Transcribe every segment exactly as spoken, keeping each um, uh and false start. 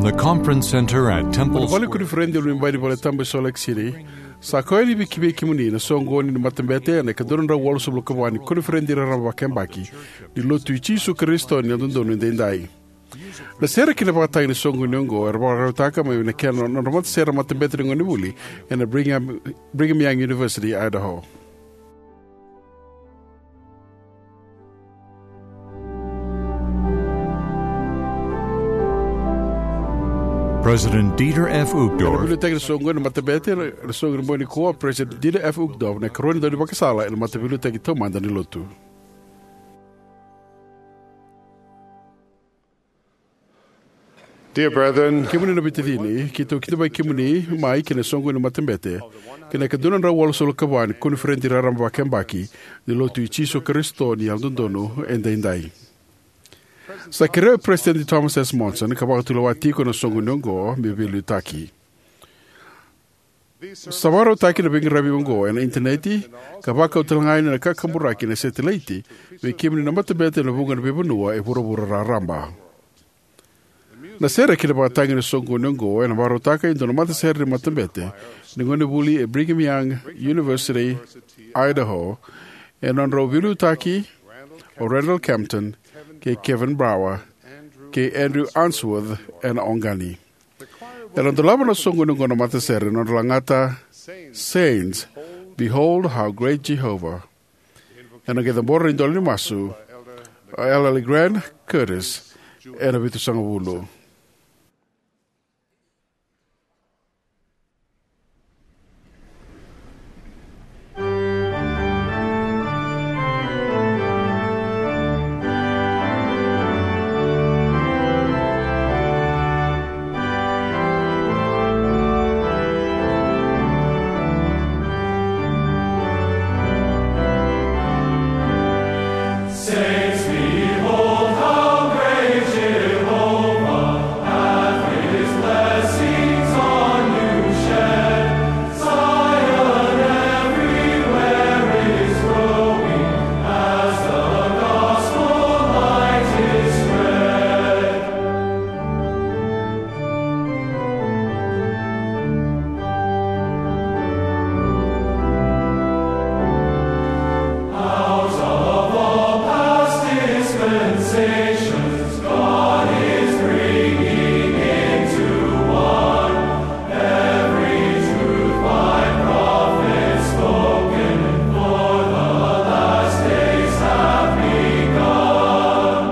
The conference center at Temple Square. Vale koniferedi e loma ni valetabu e Salt Lake City. Sa koya ni vei kemuni na soqoni ni matabete ena ika dua na drau walusagavulu ka va ni koniferedi raraba vakayabaki ni Lotu i Jisu Karisito ni Yalododonu Edaidai. Na sere kei na vakatagi ni soqoni oqo era vakarautaka mai na kena nodra matasere na matabete ni gonevuli ena Brigham, Brigham Young University, Idaho. President Dieter F. Uchtdorf. Ena veiliutaki ni soqoni ni matabete ena soqoni ni bogi nikua, President Dieter F. Uchtdorf, na ikarua ni daunivakasala ena Mataveiliutaki Taumada ni Lotu. Dear brethren, kemuni na veitacini, keitou kidavaki kemuni mai ki na soqoni ni matabete kei na ika dua na drau walusagavulu ka va ni koniferedi raraba vakayabaki ni Lotu i Jisu Karisito ni Yalododonu Edaidai. Sa kerea o President Thomas S. Monson ka vakatulewa tiko ena soqoni oqo me veiliutaki. Sa vakarautaki na veiqaravi oqo ena initaneti ka vakau talega yani na kakaburaki ena setilaiti vei kemuni na matabete ena vuqa na veivanua e vuravura raraba. Na sere kei na vakatagi ni soqoni oqo ena vakarautaka e dua na matasere ni matabete ni gonevuli e Brigham Young University, Idaho, ena nodrau veiliutaki o Randall Campton kei Kevin Brower kei Andrew Unsworth ena oqani. Era dolava na soqoni oqo na matasere ena nodra lagata Saints, Behold How Great Jehovah. Ena qai cabora na idola ni masu o Elder Grant Curtis ena vitusagavulu. Saints, behold how great Jehovah hath his blessings on you shed. Zion everywhere is growing as the gospel light is spread. Out of all past dispensations, God is bringing into one every truth by prophets spoken, for the last days have begun.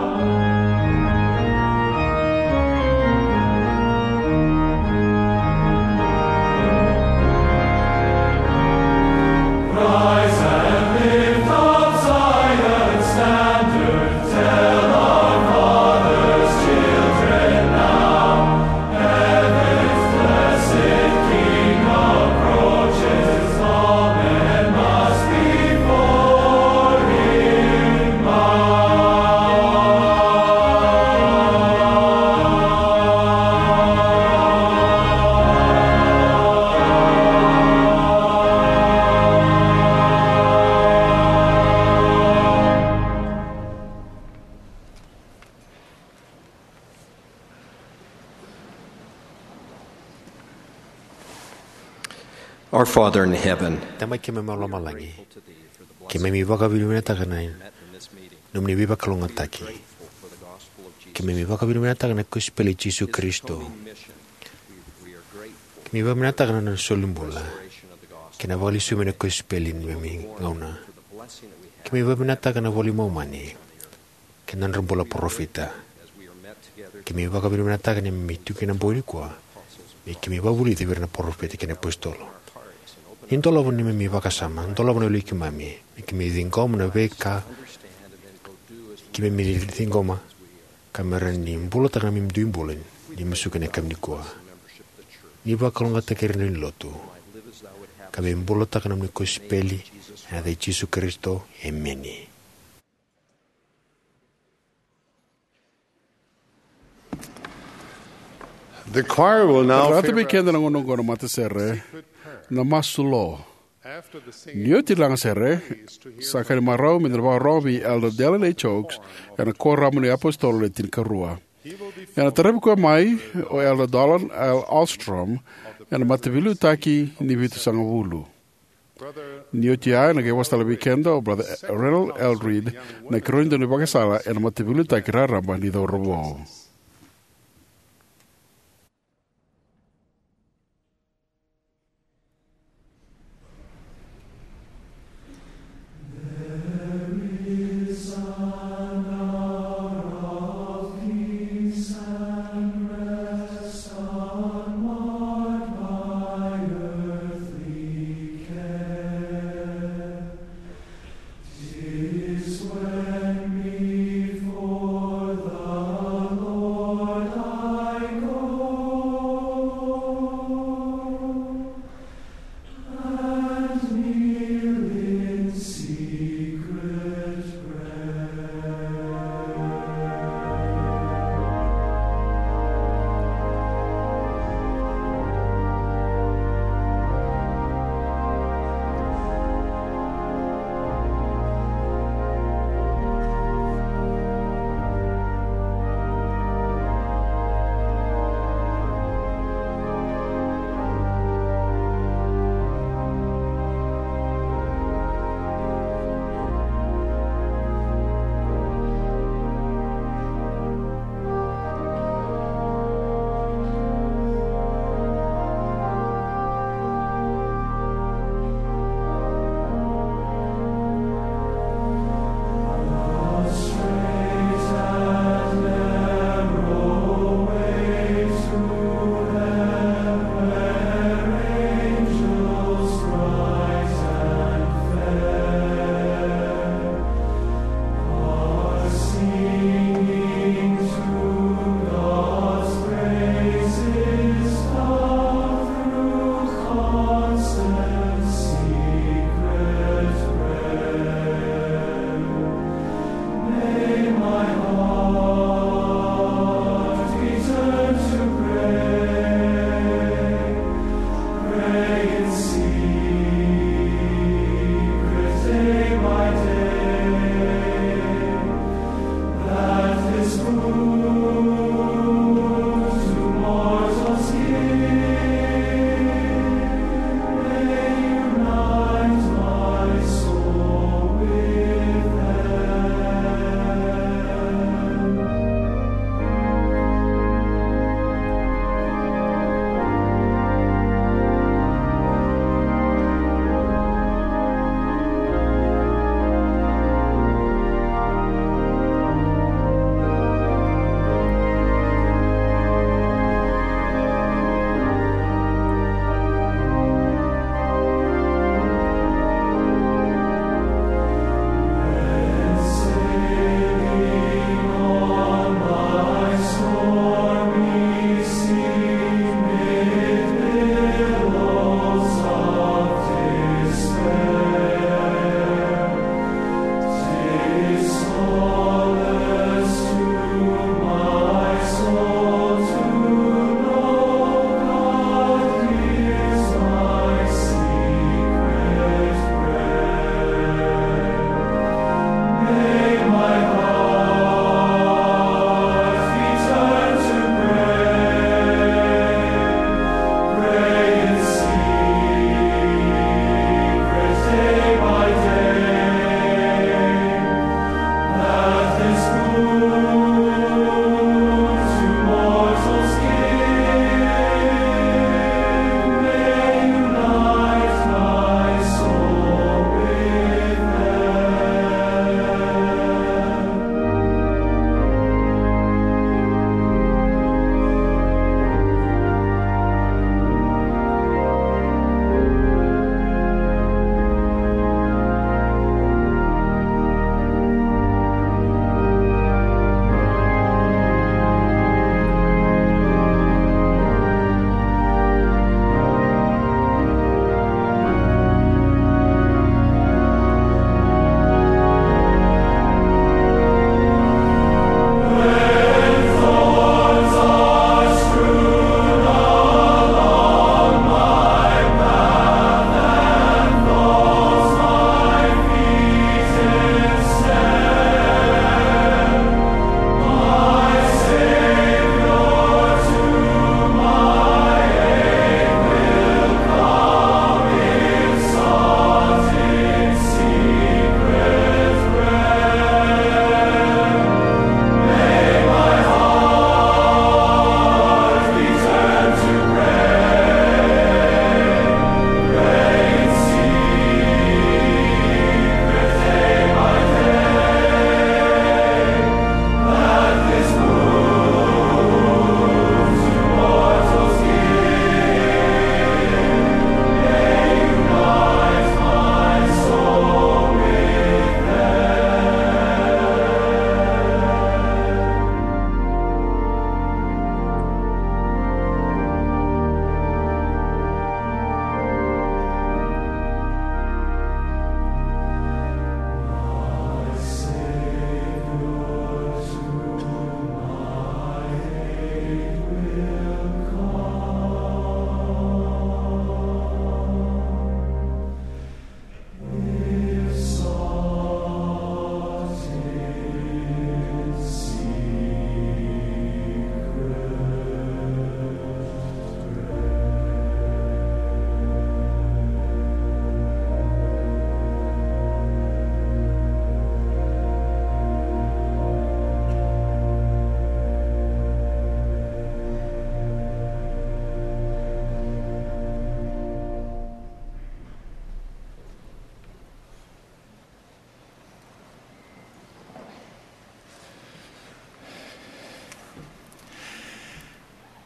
Rise and lift up Zion's standard, tell our fathers' children now. Heaven's blessed King approaches, all men must before him bow. Our Father in heaven, Tamai keimami mai lomalagi, keimami vakavinavinakataka na nomuni veivakalougatataki. Keimami vakavinavinakataka na kosipeli i Jisu Karisito. Keimami vakavinavinakataka na nona solibula kei na vakalesui mai na kosipeli ni neimami gauna. Keimami vakavinavinakataka na iVola i Momani kei na nodra bula na parofita. Keimami vakavinavinakataka ni keimami tu kina ena bogi nikua me keimami vakavulici vei ira na parofita kei na iapositolo. Ni dolava na neimami vakasama, dolava na yaloi keimami me keimami ciqoma na veika keimami ciqoma, ka me rawa ni bulataka na neimami dui bula ni musuki ena yakavi nikua. Ni vakalougatataki ira na lewe ni lotu, ka me bulataka na nomuni kosipeli, ena yaca i Jisu Karisito, emeni. The choir will now Rata vei favor keda na gauna oqo na matasere, na masu lo. After the singing, ni oti na lagasere, sa ka ni marau me da na vakarorogo vei Elder Dallin H. Oaks ena Kuoramu ni iApositolo Le Tinikarua. Ena taravi koya mai o Elder Dolan L. Ahlstrom ena Mataveiliutaki ni Vitusagavulu. Ni oti ya, ena qai vosa tale vei keda o Brother Reynold L. Reed, na ikarua ni daunivakasala ena Mataveiliutaki Raraba ni Cauravou.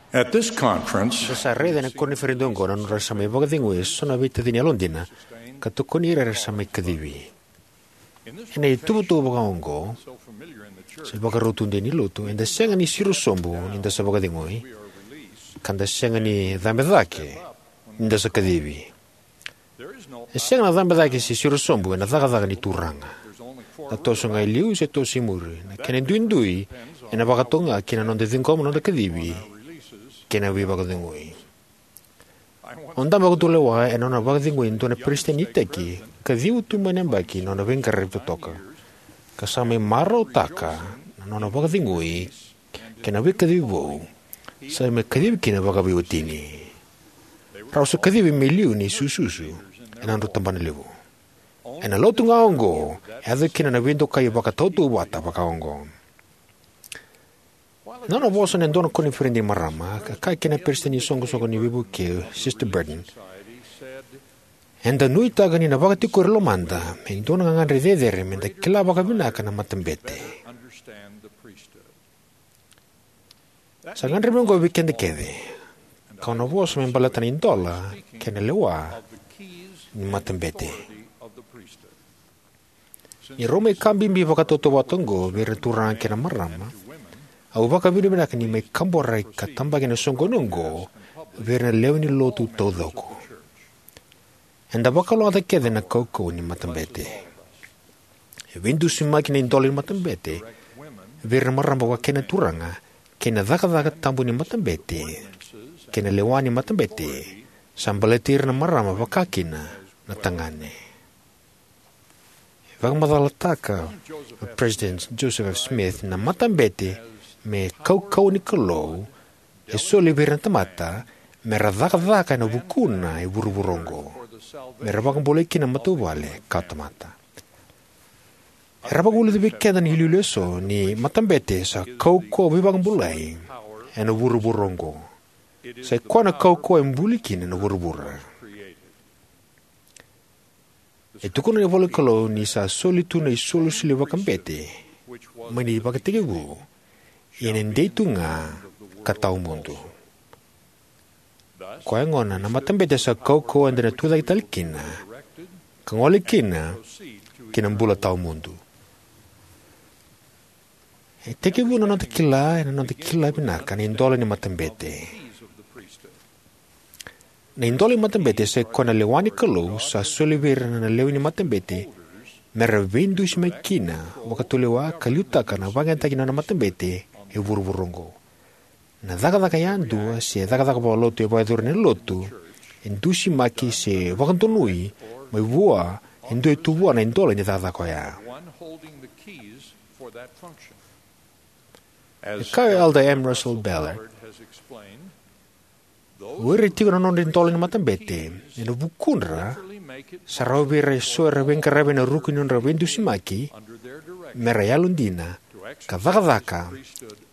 At this conference, eda sa raica ena koniferedi oqo na nodra sa mai vakacegui e so na veitacini yalodina ka tokoni ira era sa mai kacivi. Ena ituvatuva vakaoqo, se vakarau tudei ni lotu, eda sega ni siro sobu ni da sa vakacegui, ka da sega ni cabe cake ni da sa kacivi. E sega na cabe cake se siro sobu ena cakacaka ni Turaga. Na toso ga e liu se toso e muri, na kena duidui ena vakatoka ga kina noda ciqoma noda kacivi kei na veivakacegui. Au dabe vakatulewa ena nona vakacegui e dua na peresitedi ni iteki ka ciwa tu mai na yabaki na nona veiqaravi totoka, ka sa mai marautaka na nona vakacegui kei na veikacivi vou sa mai kacivi kina vakaveiwatini. Rau sa kacivi me liu ni sususu ena nodrau tabanalevu. Ena lotu ga oqo e yaco kina na veidokai vakatautauvata vakaoqo. Na nona vosa ena dua na koniferedi ni marama, ka kaya kina na peresitedi ni soqosoqo ni veivuke, Sister Burton, eda nuitaka ni na vakatikori lomada me dua na gagadre cecere me da kila vakavinaka na matabete. Sa gadrevi oqo vei keda kece, kau na vosa me baleta na idola kei na lewa ni matabete. Ni rau mai ka bibi vakatautauvata oqo vei ira na turaga kei na marama, au vakavinavinaka ni mai kaburaki ka tabaki ena soqoni oqo vei ira na lewe ni lotu taucoko. Eda vakalougatataka kece na kaukauwa ni matabete. E veidusimaki na idola ni matabete vei ira na marama vaka kina na turaga, kei na cakacaka tabu ni matabete kei na lewa ni matabete sa baleti ira na marama vaka kina na tagane. E vakamacalataka o President Joseph F. Smith na matabete me kaukauwa ni Kalou e soli vei ira na tamata me ra cakacaka ena vukuna e vuravura oqo, me ra vakabulai kina na matavuvale ka tamata. Era vakavulica vei keda na iliuliu eso ni matabete sa kaukauwa veivakabulai ena vuravura oqo. Sa i koya na kaukauwa e buli kina na vuravura. E tukuna na ivola ni Kalou ni sa soli tu na isolisoli vakabete mai na ivakatekivu, ia ena dei tu ga ka tawamudu. Koya gona na matabete sa kaukauwa eda na tucake tale kina ka gole kina ki na bula tawamudu. E tekivu na noda kila ena noda kila vinaka na idola ni matabete. Na idola ni matabete sa i koya na lewa ni Kalou sa soli vei ira na lewe ni matabete me ra veidusimaki kina vakatulewa ka liutaka na vakayagataki ni nona matabete e vuravura oqo. Na cakacaka yadua se cakacaka vakalotu e vakayacori ena lotu e dusimaki se vakadonui mai vua e dua e tu vua na idola ni cakacaka oya. E kaya o Elder M. Russell Ballard, o ira e tiko na nodra idola ni matabete ena vukudra sa rawa vei ira eso era veiqaravi ena ruku ni nodra veidusimaki me ra yalodina ka cakacaka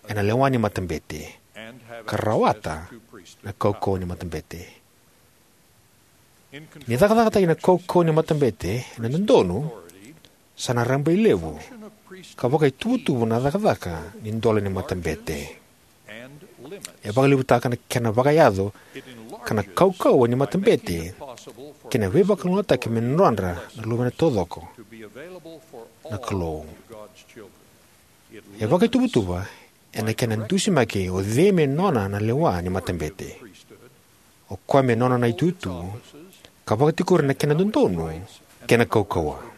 ena lewa ni matabete ka rawata na kaukauwa ni matabete. Ni cakacakataki na kaukauwa ni matabete ena dodonu, sa na rabailevu ka vakaituvatuva na cakacaka ni idola ni matabete. E vakalevutaka na kena vakayaco ka na kaukauwa ni matabete kei na veivakalougatataki me nodra na luvena taucoko na Kalou. E vakaituvatuva ena kena dusimaki o cei me nona na lewa ni matabete, o koya me nona na itutu, ka vakatikori na kena dodonu kei na kaukauwa.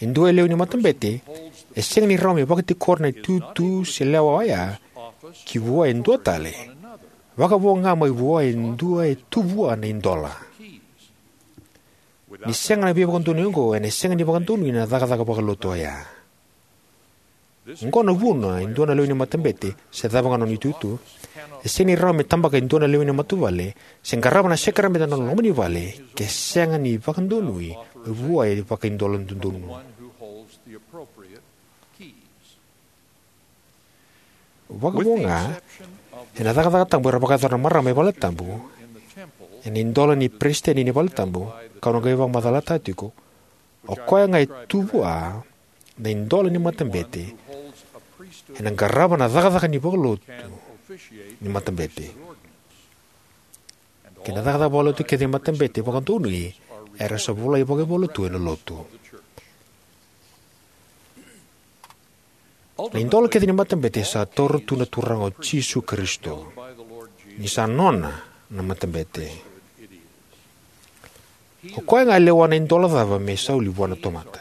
E dua e lewe ni matabete e sega ni rawa me vakatikora na itutu se lewa oya ki vua e dua tale, vakavo ga mai vua e dua e tu vua na idola. Ni sega na veivakadonui oqo, ena sega ni vakadonui na cakacaka vakalotu oya. Oqo na vuna e dua na lewe ni matabete, se cava ga na nona itutu, e sega ni rawa me tabaka e dua na lewe ni matavuvale se qarava na sakaramede ena nona loma ni vale ke sega ni vakadonui mai vua e vakaidola dodonu. Vakavo ga ena cakacaka tabu era vakayacora na marama e valetabu, ena idola ni peresitedi ni valetabu, kau na qai vakamacalataka tiko, o koya ga e tu vua na idola ni matabete ena qarava na cakacaka ni vakalotu ni matabete. Kei na cakacaka vakalotu kece ni matabete vakadonui era sa volai vakaivola tu ena lotu. Na idola kece ni matabete sa taura tu na Turaga o Jisu Karisito, ni sa nona na matabete. O koya ga e lewa na idola cava me soli vua na tamata,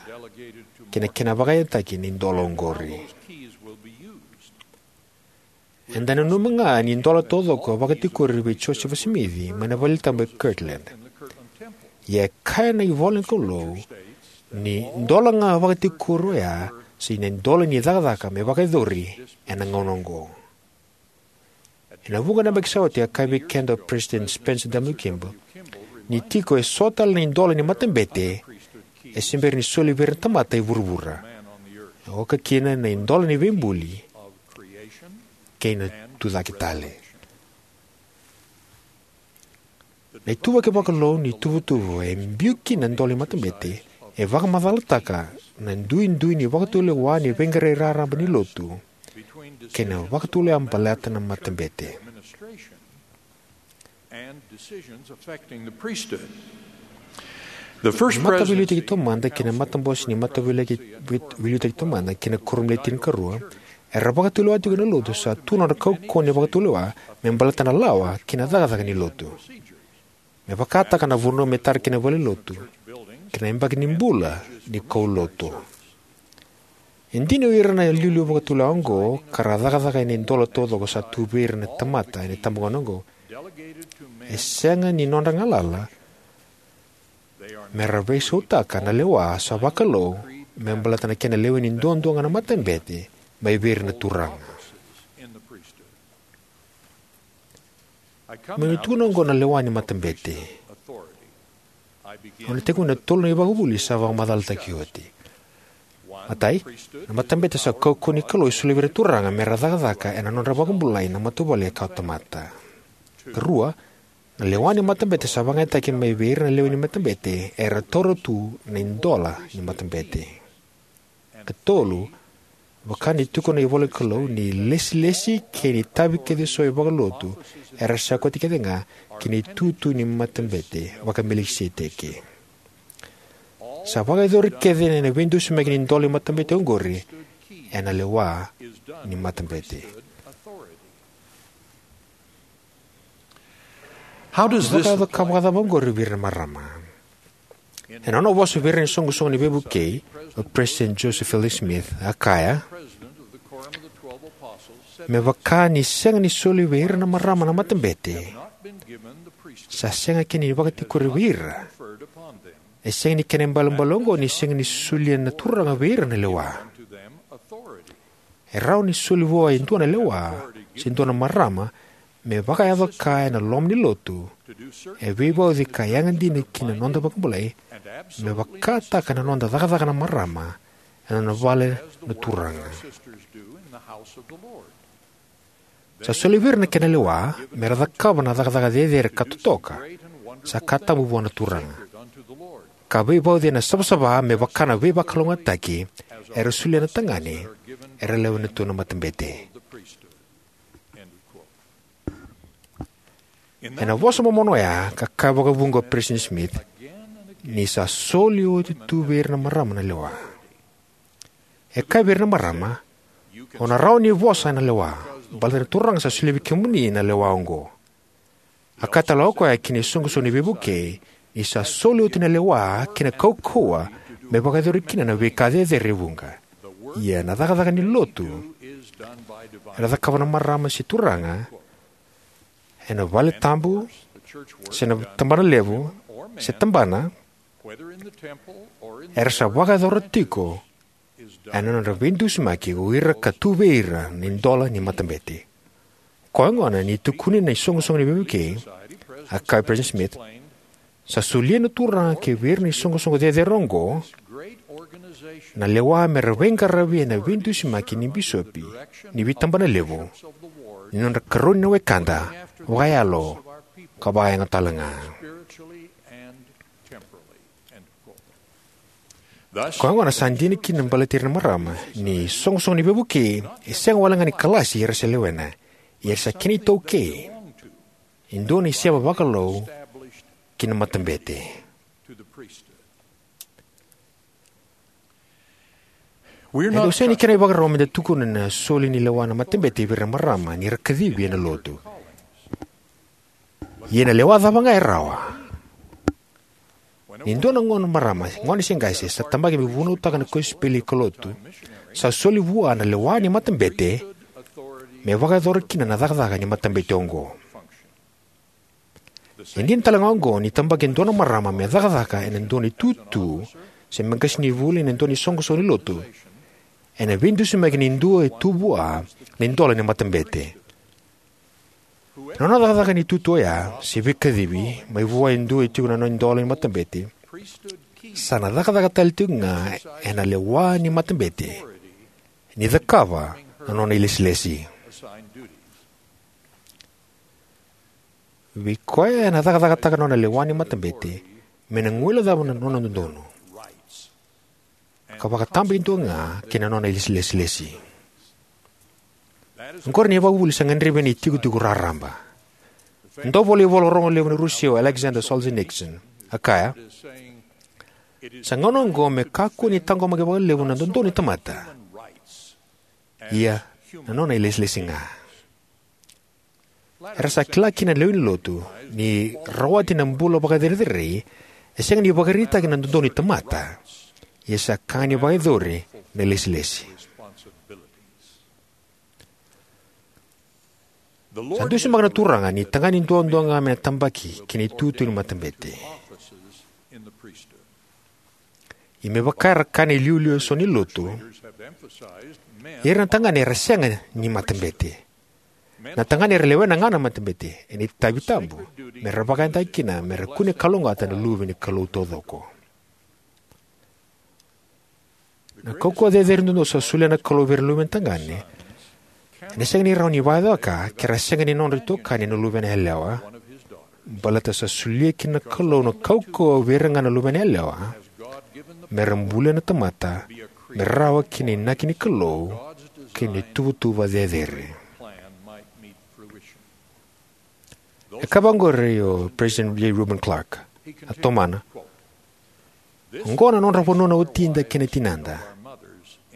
kei na kena vakayagataki na idola oqori. Eda nanuma ga ni idola taucoko a vakatikori vei Josefa Simici mai na Valetabu e Kirtland. Ia e kaya na ivola ni Kalou ni dola ga a vakatikori oya sa na idola ni cakacaka me vakayacori ena gauna oqo. Ena vuqa na yabaki sa oti a kaya vei keda o President Spencer W. Kimball ni tiko eso tale na idola ni matabete e se bera ni soli vei ira na tamata e vuravura, oka kina na idola ni veibuli kei na tucake tale. Na ituvaki vakalou ni tuvatuva e biu kina na idola ni matabete e vakamacalataka na duidui ni vakatulewa ni veiqaravi raraba ni lotu kei na vakatulewa baleta na matabete. Mataveiliutaki taumada kei na matabose ni mataveiliutaki taumada kei na kuoramu ni tinikarua era vakatulewa tiko ena lotu sa tu nodra kaukauwa ni vakatulewa me baleta na lawa kei na cakacaka ni lotu, me vakataka na vanua me tara kina na valenilotu kei na yabaki ni bula ni kaulotu. E dina o ira na iliuliu vakatulewa oqo ka ra cakacaka ena idola taucoko sa tu vei ira na tamata ena itabagauna oqo, e sega ni nodra galala me ra veisautaka na lewa sa vakalou me baleta na kena leweni duadua ga na matabete mai vei ira na turaga. Meu na tukuna oqo na lewa ni matabete. Au na tekivuna e tolu na ivakavuvuli sa vakamacalataki oti. Matai, na matabete sa kaukauwa ni Kalou e solia vei ira na turaga me ra cakacaka ena nodra vakabulai na matavuvale e kawa tamata. Karua, na lewa ni matabete sa vakayagataki mai vei ira na lewe ni matabete era taura tu na idola ni matabete. Katolu, vaka ni tukuna na ivola ni Kalou, ni ilesilesi kei na itavi kece eso e vakalotu era sa koti kece ga ki na itutu ni matabete vaka-Melikiseteki. Sa vakayacori kece na veidusimaki ni idola ni matabete oqori ena lewa ni matabete. How does this Vakayaco ka vakacava oqori vei ira na marama? Ena nona vosa vei ira na iSoqosoqo ni Veivukei, o President Joseph Fielding Smith a kaya, me vaka ni sega ni soli vei ira na marama na matabete, sa sega kina ni vakatikori vei ira. E sega ni kena ibalebale oqo ni sega ni solia na Turaga vei ira na lewa. E rawa ni soli vua e dua na lewa se dua na marama me vakayaco ka ena loma ni lotu, e veivauci ka yaga dina ki na noda vakabulai, me vakataka na noda cakacaka na marama ena nona vale na Turaga. Sa soli vei ira na kena lewa me ra cakava na cakacaka cecere ka totoka, sa ka tabu vua na Turaga, ka veivauci ena savasava me vaka na veivakalougatataki era solia na tagane era lewena tu na matabete. Ena vosa momona oya ka kaya vakavuqa o President Smith ni sa soli oti tu vei ira na marama na lewa. E kaya vei ira na marama, o na rawa ni vosa ena lewa, baleta na Turaga sa solia vei kemuni na lewa oqo. A kaya tale o koya ki na iSoqosoqo ni Veivukei ni sa soli oti na lewa kei na kaukauwa me vakayacori kina na veika cecere e vuqa. Ia na cakacaka ni lotu era cakava na marama se turaga ena valetabu se na tabana levu se tabana, era sa vakayacora tiko ena nodra veidusimaki o ira ka tu vei ira na idola ni matabete. Koya gona ni tukuni na iSoqosoqo ni Veivukei, a kaya o President Smith, sa solia na Turaga ki vei ira na isoqosoqo cecere oqo na lewa me ra veiqaravi ena veidusimaki ni bisopi ni veitabana levu ni nodra karoni na wekada vakayalo ka vakayago talega. Koya gona sa dina kina baleti ira na marama ni iSoqosoqo ni Veivukei e sega walega ni kalasi era se lewena, ia era sa kena itaukei e dua na isema vakalou ki na matabete. E dau sega ni kena ivakarau me da tukuna na soli ni lewa na matabete vei ira na marama ni ra kacivi ena Lotu. Ia na lewa cava ga e rawa. Ni dua na gone marama, gone se qase, sa tabaki me vunautaka na kosipeli ka lotu, sa soli vua na lewa ni matabete me vakayacora kina na cakacaka ni matabete oqo. E dina tale ga oqo ni tabaki e dua na marama me cakacaka ena dua na itutu se me qasenivuli ena dua na iSoqosoqo ni Lotu, ena veidusimaki ni dua e tu vua na idola ni matabete. Na nona cakacaka ena itutu oya se veikacivi mai vua e dua e tiko na nona idola ni matabete, sa na cakacaka tale tiko ga ena lewa ni matabete ni cakava na nona ilesilesi. Vei koya ena cakacakataka na nona lewa ni matabete me na guilecava na nona dodonu ka vakatabakidua ga kei na nona ilesilesi. Oqori na ivakavuvuli sa gadrevi ena itikotiko raraba. Dauvolaivola rogo levu na Rusia o Alexander Solzhenitsyn a kaya, sa gauna oqo me kakua ni taqomaki vakalevu na dodonu ni tamata, ia na nona ilesilesi ga. Era sa kila kina na lewe ni Lotu ni rawati na bula vakacerecerei e sega ni vakaraitaki na dodonu ni tamata, ia sa ka ni vakayacori na ilesilesi. Sa dusimaka na Turaga ni tagane duadua ga me na tabaki ki na itutu ni matabete. Ia me vaka era kaya na iliuliu eso ni Lotu, ira na tagane era sega ni matabete. Na tagane era lewena ga na matabete ena itavi tabu me ra vakayagataka kina me ra kune kalougata na luve ni Kalou taucoko. Na kaukauwa cecere duadua sa solia na Kalou vei ira na luvena tagane ena sega ni rawa ni vakayacora ke ra sega ni nodra itokani na luvena yalewa, baleta sa solia kina na Kalou na kaukauwa vei ira ga na luvena yalewa me ra bulia na tamata me rawa ki na inaki ni Kalou kei na ituvatuva cecere. E kaya vaqori o President J. Reuben Clark, a tomana: Oqo na nodra vanua na watida kei na tinada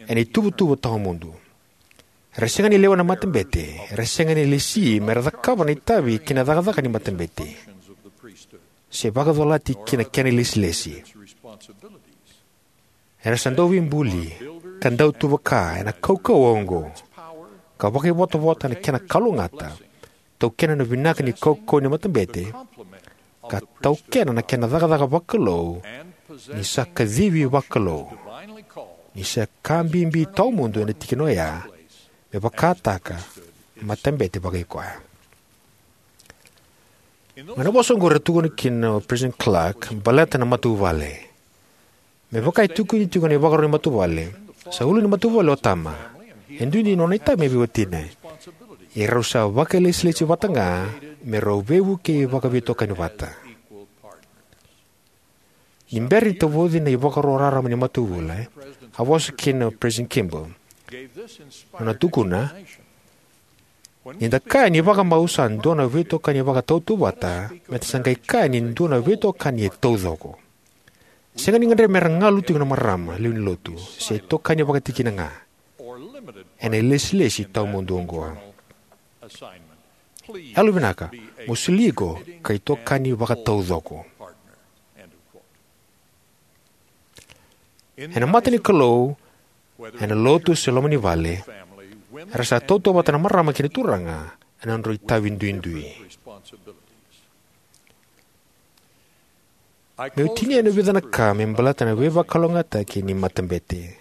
ena ituvatuva tawamudu. Era sega ni lewena na matabete, era sega ni lesi me ra cakava na itavi kei na cakacaka ni matabete, se vakacolati ki na kena ilesilesi. Era sa dauveibuli ka dautuvaka ena kaukauwa oqo, ka vakaivotavota ena kena kalougata, taukena na vinaka ni kaukauwa ni matabete, ka taukena na kena cakacaka vakalou ni sa kacivi vakalou, ni sa ka bibi tawamudu ena tikina oya me vakataka matabete vakaikoya. Mai na vosa oqori e tukuna kina o President Clark baleta na matavuvale. Me vaka e tukuni tiko na ivakarau ni matavuvale, sa ulu ni matavuvale o tama, e duidui na nona itavi mai vei watina, ia rau sa vakailesilesi vata ga me rau veivukei vakaveitokani vata. Ni bera ni tavoci na ivakaro raraba ni matavuvale, a vosa kina o President Kimball. Nona tukuna: Ni da kaya ni vakamau sa dua na veitokani vakatautauvata, me da sa qai kaya ni dua na veitokani e taucoko. Sega ni gadrevi me ra galu tiko na marama, lewe ni lotu, se itokani vakatikina ga ena ilesilesi tawamudu oqo. Yalovinaka, mo soli iko ka itokani vakataucoko. Ena mata ni Kalou, ena lotu se loma ni vale, era sa tautauvata na marama kei na turaga ena nodrau itavi duidui. Meu tinia ena vica na ka me baleta na veivakalougatataki ni matabete.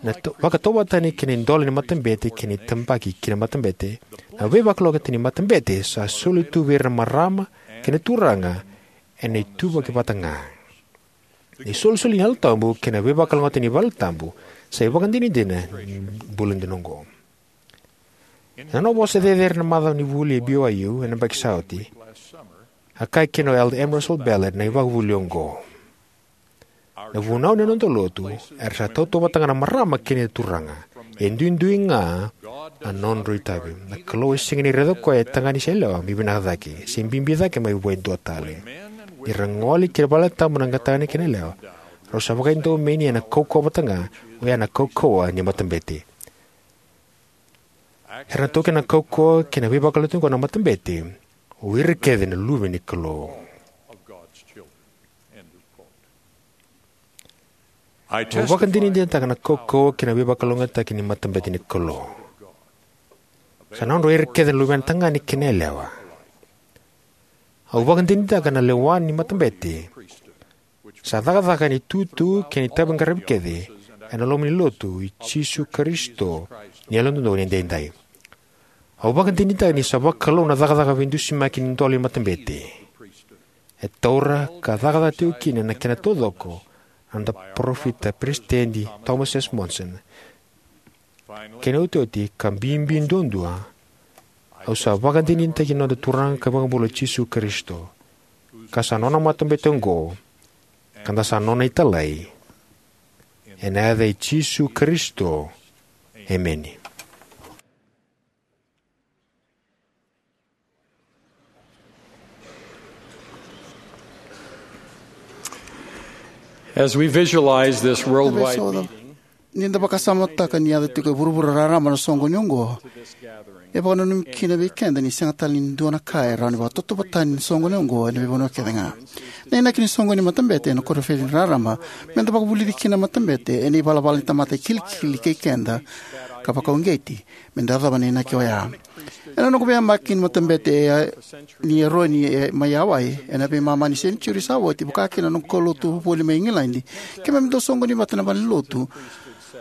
Na to- vakatauvatani kei na idola ni matabete kei na itabaki ki na matabete. Na veivakalougatataki ni matabete sa soli tu vei ira na marama kei na turaga ena ituvaki vata ga. Na isolisoli ni Yalo Tabu kei na veivakalougatataki ni valetabu sa ivakadinadina ni bula dina oqo. Ena nona vosa cecere ena macawa ni vuli e B Y U ena yabaki sa oti, a kaya kina o Elder M. Russell Ballard na ivakavuvuli oqo: Na vunau ni noda lotu era sa tautauvata ga na marama kei na turaga. E duidui ga na nodrau itavi. Na Kalou e sega ni raica o koya e tagane se yalewa me vinaka cake, se bibi cake mai vua e dua tale. Ni ra gole ki na valetabu na tagane kei na yalewa, rau sa vakaidodomeni ena kaukauwa vata ga, oya na kaukauwa ni matabete. Era na taukena na kaukauwa kei na veivakalotu oqo na matabete, o ira kece na luve ni Kalou. Au vakadinadinataka na kaukauwa kei na veivakalougatataki ni matabete ni Kalou. Sa nodra o ira kece na luvena tagane kei na yalewa. Au vakadinadinataka na lewa ni matabete sa cakacaka ena itutu kei na itaviqaravi kece ena loma ni lotu i Jisu Karisito ni Yalododonu Edaidai. Au vakadinadinataka ni sa vakalou na cakacaka veidusimaki ni dola ni matabete. E taura ka cakacaka tiko kina na kena taucoko na noda parofita, Peresitedi Thomas S. Monson. Kena iotioti ka bibi duadua, au sa vakadinadinataki na noda Turaga ka iVakabula o Jisu Karisito, ka sa nona matabete oqo, ka da sa nona italai. Ena yaca i Jisu Karisito, emeni. As we visualize this worldwide meeting, ni da vakasamataka ni yaco tiko e vuravura raraba na soqoni oqo, e vakananumi kina vei keda ni sega tale ni dua na ka e rawa ni vakatautauvatani ni soqoni oqo ena veivanua kece ga. Na inaki ni soqoni ni matabete ena koniferedi raraba me da vakavulici kina na matabete ena ivalavala ni tamata e kilikili kei keda ka vakauqeti me da yacova na inaki oya. Ena noqu veiyabaki ni matabete e, ni Eroni e, mai Hawaii, ena veimama ni senijiuri sa oti, vaka kina na noqu kaulotu voli mai Igiladi, keimami dau soqoni vata na valenilotu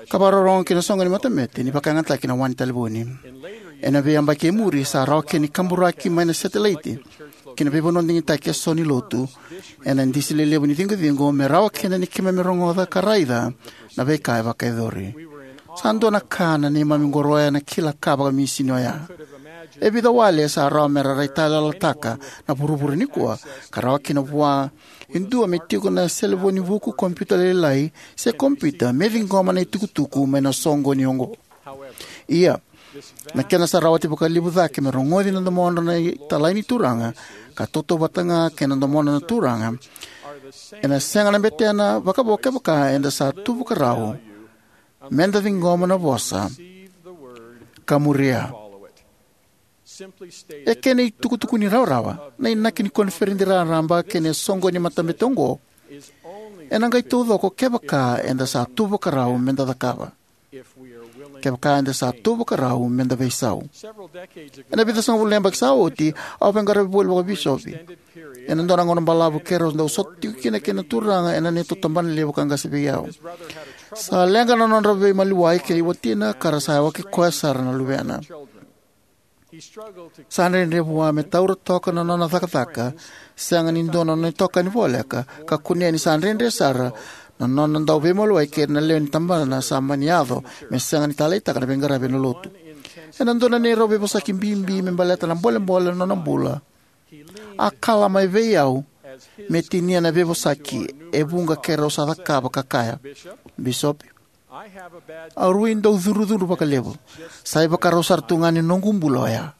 ka vakarorogo ki na soqoni ni matabete ni vakayagataki na wa ni talevoni. Ena veiyabaki e muri sa rawa kina ni kaburaki mai na setelaiti ki na veivanua digitaki eso ni lotu ena disi lelevu ni ciqociqo me rawa kina ni keimami rogoca ka raica na veika e vakayacori. Sa dua na ka na neimami qoroya na kila ka vakamisini oya. E vica wale sa rawa me ra raitayaloyalotaka na vuravura nikua, ka rawa kina vua e dua me tiko na selevoni vuku, kompiuta lailai, se kompiuta me ciqoma na itukutuku mai na soqoni oqo. Ia, na kena sa rawati vakalevu cake me rogoci na domodra na italai ni Turaga ka tautauvata ga kei na domodra na Turaga, ena sega na betena vakavo kevaka eda sa tu vakarau me da ciqoma na vosa ka muria. E kena itukutuku ni rawarawa, na inaki ni koniferedi raraba kei na soqoni ni matabete oqo ena qai taucoko kevaka eda sa tu vakarau me da cakava. Kevaka eda sa tu vakarau me da veisau. Ena vica sagavulu na yabaki sa oti, au veiqaravi voli vakabisopi ena dua na gauna balavu keirau dau sota tiko kina kei na Turaga ena neitou tabanalevu ka qase vei au. Sa leqa na nodra veimaliwai kei watina ka ra sa yawaki koya sara na luvena. Sa dredre vua me taura toka na nona cakacaka, sega ni dua na nona itokani voleka, ka kunea ni sa dredre sara na nona dau veimaliwai kei ira na lewe ni tabana sa mani yaco me sega ni taleitaka na veiqaravi ena lotu. Ena dua na neirau veivosaki bibi me baleta na bolebole na nona bula, a kala mai vei au me tinia na veivosaki e vuqa keirau sa cakava ka kaya, "Bisopi, au rui dau cudrucudru vakalevu. Sa ivakarau sara tu ga ni noqu bula oya."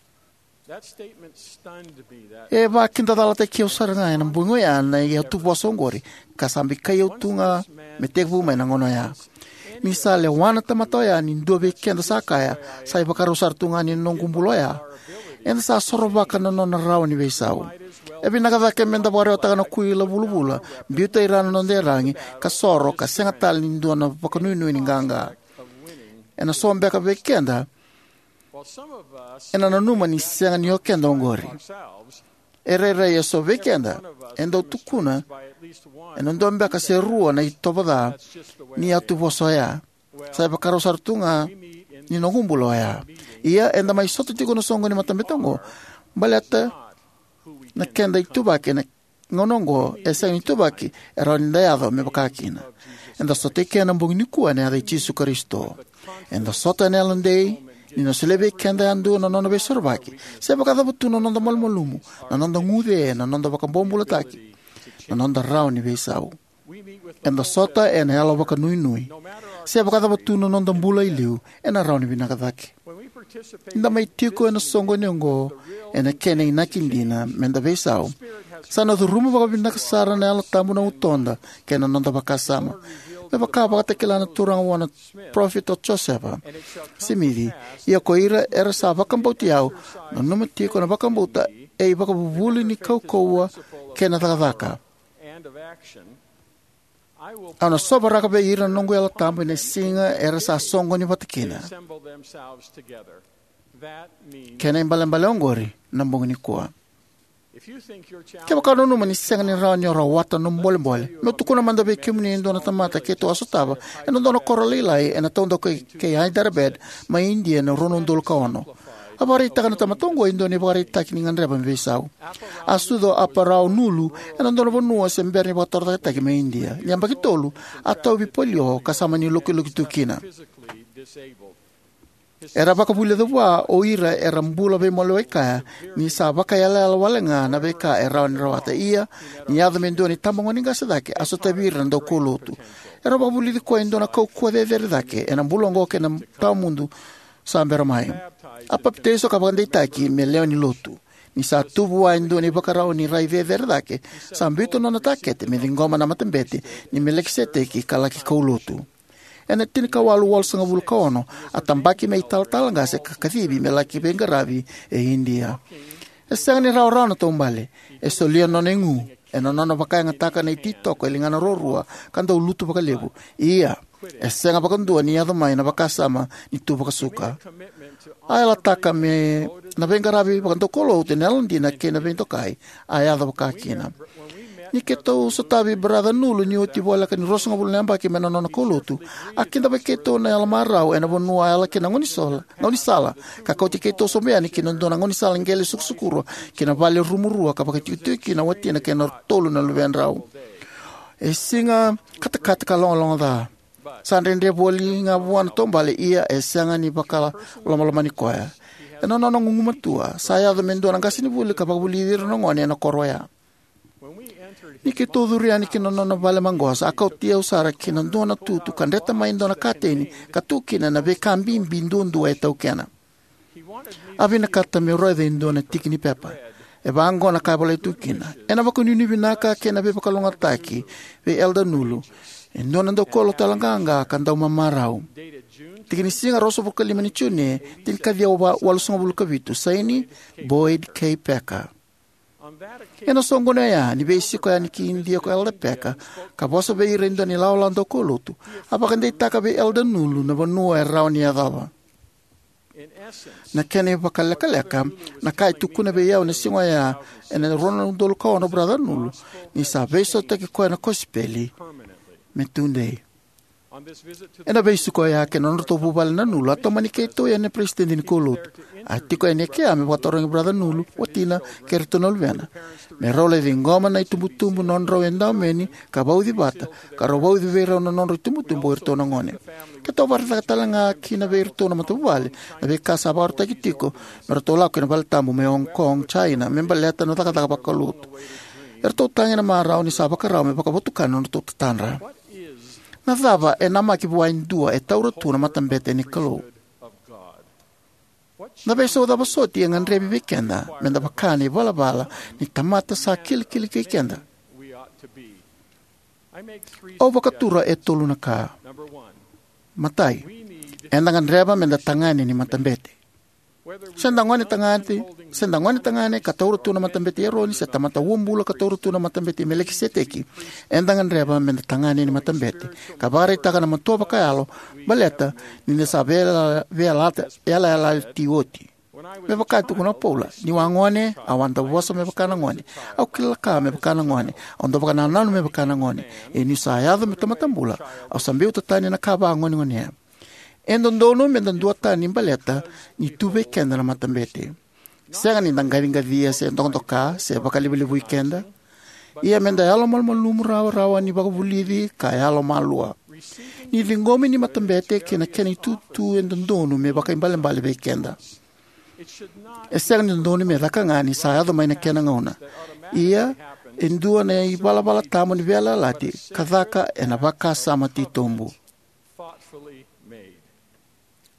E vakidacalataki au sara ga ena bogi oya na iyatuvosa oqori, ka sa bikai au tu ga me tekivu mai na gauna oya. Ni sa lewa na tamata oya ni dua vei keda sa kaya, "Sa ivakarau sara tu ga ni noqu bula oya," eda sa sorovaka na nona rawa ni veisau. E vinaka cake me da vakarewataka na kuila vulavula, biuta i ra na noda iyaragi, ka soro, ka sega tale ni dua na vakanuinui ni qaqa. Ena so beka vei keda ena nanuma ni sega ni o keda oqori. E rairai eso vei keda e dau tukuna ena dua beka se rua na itovo ca ni iyatuvosa oya. Sa ivakarau sara tu ga ni noqu bula oya. Ia, eda mai sota tiko na soqoni ni matabete oqo baleta na keda ituvaki ena gauna oqo e sega ni ituvaki e rawa ni da yaco me vaka kina. Eda sota eke ena bogi nikua ena yaca i Jisu Karisito. Eda sota ena yalodei ni na solia vei keda yadua na nona veisorovaki, se vakacava tu na noda malumalumu, na noda guce, na noda vakabobulataki, na noda rawa ni veisau. Eda sota ena yalo vakanuinui. Se vakacava tu na noda bula e liu, ena rawa ni vinaka cake. Ni da mai tiko ena soqoni oqo ena kena inaki dina me da veisau, sa na curuma vakavinaka sara na Yalo Tabu na utoda kei na noda vakasama. Me vaka a vakatakila na Turaga vua na parofita o Josefa Simici, ia ko ira era sa vakabauti au, nanuma tiko na vakabauta e ivakavuvuli ni kaukauwa kei na cakacaka. Au na sovaraka vei ira na noqu Yalo Tabu ena siga era sa soqoni vata kina. Kena ibalebale oqori na bogi nikua. Kevaka o nanuma ni sega ni rawa ni o rawata na nomu bolebole, meu tukuna mada vei kemuni e dua na tamata keitou a sotava ena dua na koro lailai ena taudaku kei Hyderabad mai Idia ena rua na udolu ka ono. A vakaraitaka na tamata oqo e dua na ivakaraitaki ni gadreva me veisau. A sucu o Appa Rao Nulu ena dua na vanua se bera ni vakatorocaketaki mai Idia. Ni yabaki tolu, a tauvi polio ka sa mani lokiloki tu kina. Era vakavulica vua o ira era bula veimaliwai kaya ni sa vakaiyalayala wale ga na veika e rawa ni rawata. Ia, ni yaco me dua na itabagone qase cake, a sotavi ira na daukaulotu. Era vakavulici koya e dua na kaukauwa cecere cake ena bula oqo kei na tawamudu sa bera mai. A papitaiso ka vakadeitaki me lewe ni lotu. Ni sa tu vua e dua na ivakarau ni rai cecere cake, sa biuta na nona takete me ciqoma na matabete ni Melikiseteki ka laki kaulotu. Ena tinikawalu walusagavulu ka ono, a tabaki me italatala qase ka kacivi me laki veiqaravi e Idia. E sega ni rawarawa na taubale. E solia na nona igu ena nona vakayagataka na ititoko e ligana ruarua ka dau lutu vakalevu. Ia, e sega vakadua ni yaco mai na vakasama ni tu vakasuka. A yalataka me na veiqaravi vakadaukaulotu ena yalodina kei na veidokai, a yaco vakakina. Ni keitou sotavi Baraca Nulu ni oti voleka ni ruasagavulu na yabaki mai na nona kaulotu, a kidavaki keitou na yalomarau ena vanua a yala kina na gaunisala, gaunisala, ka kauti keitou sobu yani ki na dua na gaunisala qele sukusukurua ki na vale rumu rua ka vakaitikotiko kina o watina kei na tolu na luvedrau. E siga katakata ka logaloga ca. Sa dredre voli ga vua na taubale, ia e sega ni vakalomalomani koya. Ena nona gugumatua, sa yaco me dua na qasenivuli ka vakavulici ira na gone ena koro oya. Ni keitou curu yani ki na nona vale maqosa, a kauti au sara ki na dua na tutu ka dreta mai e dua na kateni ka tu kina na veika bibi duadua e taukena. A vinakata meu raica e dua na tiki ni pepa. E vaqo na ka e volai tu kina: Ena vakanuinui vinaka kei na veivakalougatataki vei Elder Nulu, e dua na daukaulotu yaloqaqa ka dau mamarau. Tiki ni siga ruasagavulu ka lima ni June, tinikaciwa walusagavulu ka vitu. Saini, Boyd K. Packer. Ena soqoni oya, ni veisiko yani ki Idia ko Elder Packer ka vosa vei ira e dua na ilawalawa daukaulotu, a vakadeitaka vei Elder Nulu na vanua e rawa ni yacova. Na kena ivakalekaleka, na ka e tukuna vei au ena siga oya ena rua na udolu ka ono o Baraca Nulu, ni sa veisautaki koya na kosipeli me tudei. Ena veisiko oya kei na nodratou vuvale na Nulu, a tomani keitou yani na peresitedi ni kaulotu. A tiko yani e kea me vakatarogi Baraca Nulu, watina, kei iratou na luvena, me rau lai ciqoma na itubutubu nodrau edaumeni ka vauci vata, ka rau vauci vei rau na nodrau itubutubu o iratou na gone. Keitou vakaraitaka tale ga kina vei iratou na matavuvale na veika sa vakarautaki tiko me ratou lako ki na valetabu mai Hong Kong, China, me baleta na cakacaka vakalotu. Eratou tagi ena marau ni sa vakarau me vakavotukana na nodratou tatadra. Na cava e namaki vua e dua e taura tu na matabete ni Kalou? Na veisau cava soti e gadrevi vei keda me da vaka na ivalavala ni tamata sa kilikili kei keda? Au vakatura e tolu na ka. Matai, eda gadreva me da tagane ni matabete. Se da gone tagane, se da gone tagane ka taura tu na matabete i Eroni, se tamata uabula ka taura tu na matabete i Melikiseteki, eda gadreva me da tagane ni matabete ka vakaraitaka na matua vakayalo, baleta ni da sa veiyalayalati oti. Me vaka e tukuna o Paula: Niu a gone, au a dau vosa me vaka na gone, au kila ka me vaka na gone, au dau vakanananu me vaka na gone. Ia niu sa yaco me tamata bula, au sa biuta tani na ka vagonegonea. E dodonu me da duatani baleta ni tu vei keda na matabete. Sega ni da qaciqacia se dokadoka se vakalevulevui keda. Ia me da yalomalumalumu rawarawa ni vakavulici ka yalomalua. Ni ciqomi ni matabete kei na kena itutu e dodonu me vakaibalebale vei keda. E sega ni dodonu me caka ga ni sa yaco mai na kena gauna. Ia, e dua na ivalavala tabu ni veiyalayalati ka caka ena vakasama titobu.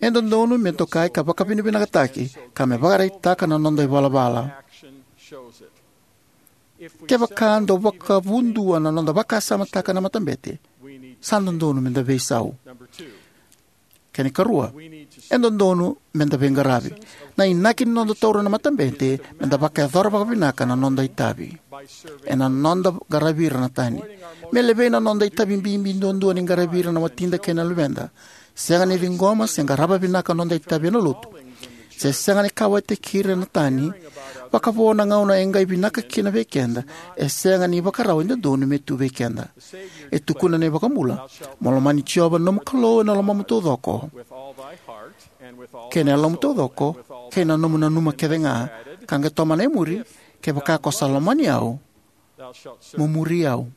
E dodonu me dokai ka vakavinavinakataki ka me vakaraitaka na noda ivalavala. Kevaka dau vakavudua na noda vakasamataka na matabete, sa dodonu me da veisau. Kena ikarua, e dodonu me da veiqaravi. Na inaki ni noda taura na matabete me da vakayacora vakavinaka na noda itavi. Ena noda qaravi ira na tani, me levei na noda itavi bibi duadua ni qaravi ira na watida kei na luveda, sega ni ciqoma se qarava vinaka noda itavi ena lotu, se sega ni kauwaitaki ira na tani, vakavo na gauna e qai vinaka kina vei keda, e sega ni vakarau e dodonu me tu vei keda. E tukuna na iVakabula, mo lomani Jiova na nomu Kalou ena lomamu taucoko, kei na yalomu taucoko, kei na nomu nanuma kece ga, ka qai tomana e muri, kevaka ko sa lomani au, mo muri au.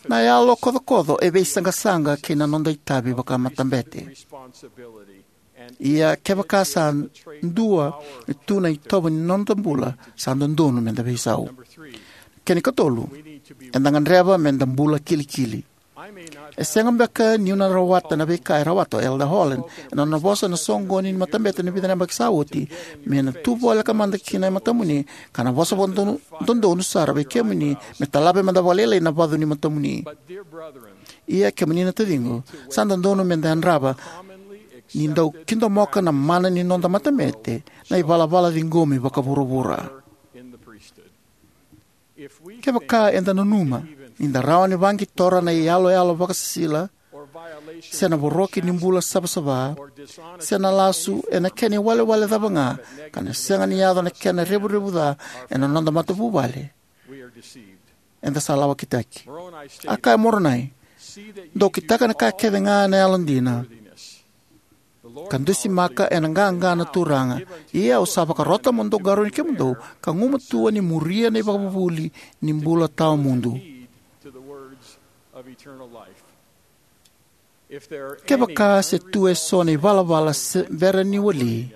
Na yalo kocokoco e veisaqasaqa kei na noda itavi vakamatabete. Ia kevaka sa dua e tu na itovo ni noda bula, sa dodonu me da veisau. Kena ikatolu, eda gadreva me da bula kilikili. E sega beka niu na rawata na veika e rawata o Elder Holland ena nona vosa ena soqoni ni matabete na vica na yabaki sa oti, me na tu voleka mada kina e matamuni, ka na vosa vakadodonu sara vei kemuni, me talave mada vakalailai na vacu ni matamuni. Ia kemuni na taciqu, sa dodonu me da yadrava ni dau kidomoka na mana ni noda matabete na ivalavala ciqomi vakavuravura. Kevaka eda nanuma ni da rawa ni vaqitora na iyaloyalo vakasisila, se na voroki ni bula savasava, se na lasu ena kena iwalewale cava ga, ka na sega ni yaco na kena revurevu ca ena noda matavuvale, eda sa lawakitaki. A kaya Moronai, dou kitaka na ka kece ga ena yalodina, ka dusimaka ena qaqa na Turaga. Ia au sa vakarota mo dou qarauni kemudou, ka gumatua ni muria na ivakavuvuli ni bula tawamudu. Kevaka se tu eso na ivalavala se bera ni wali,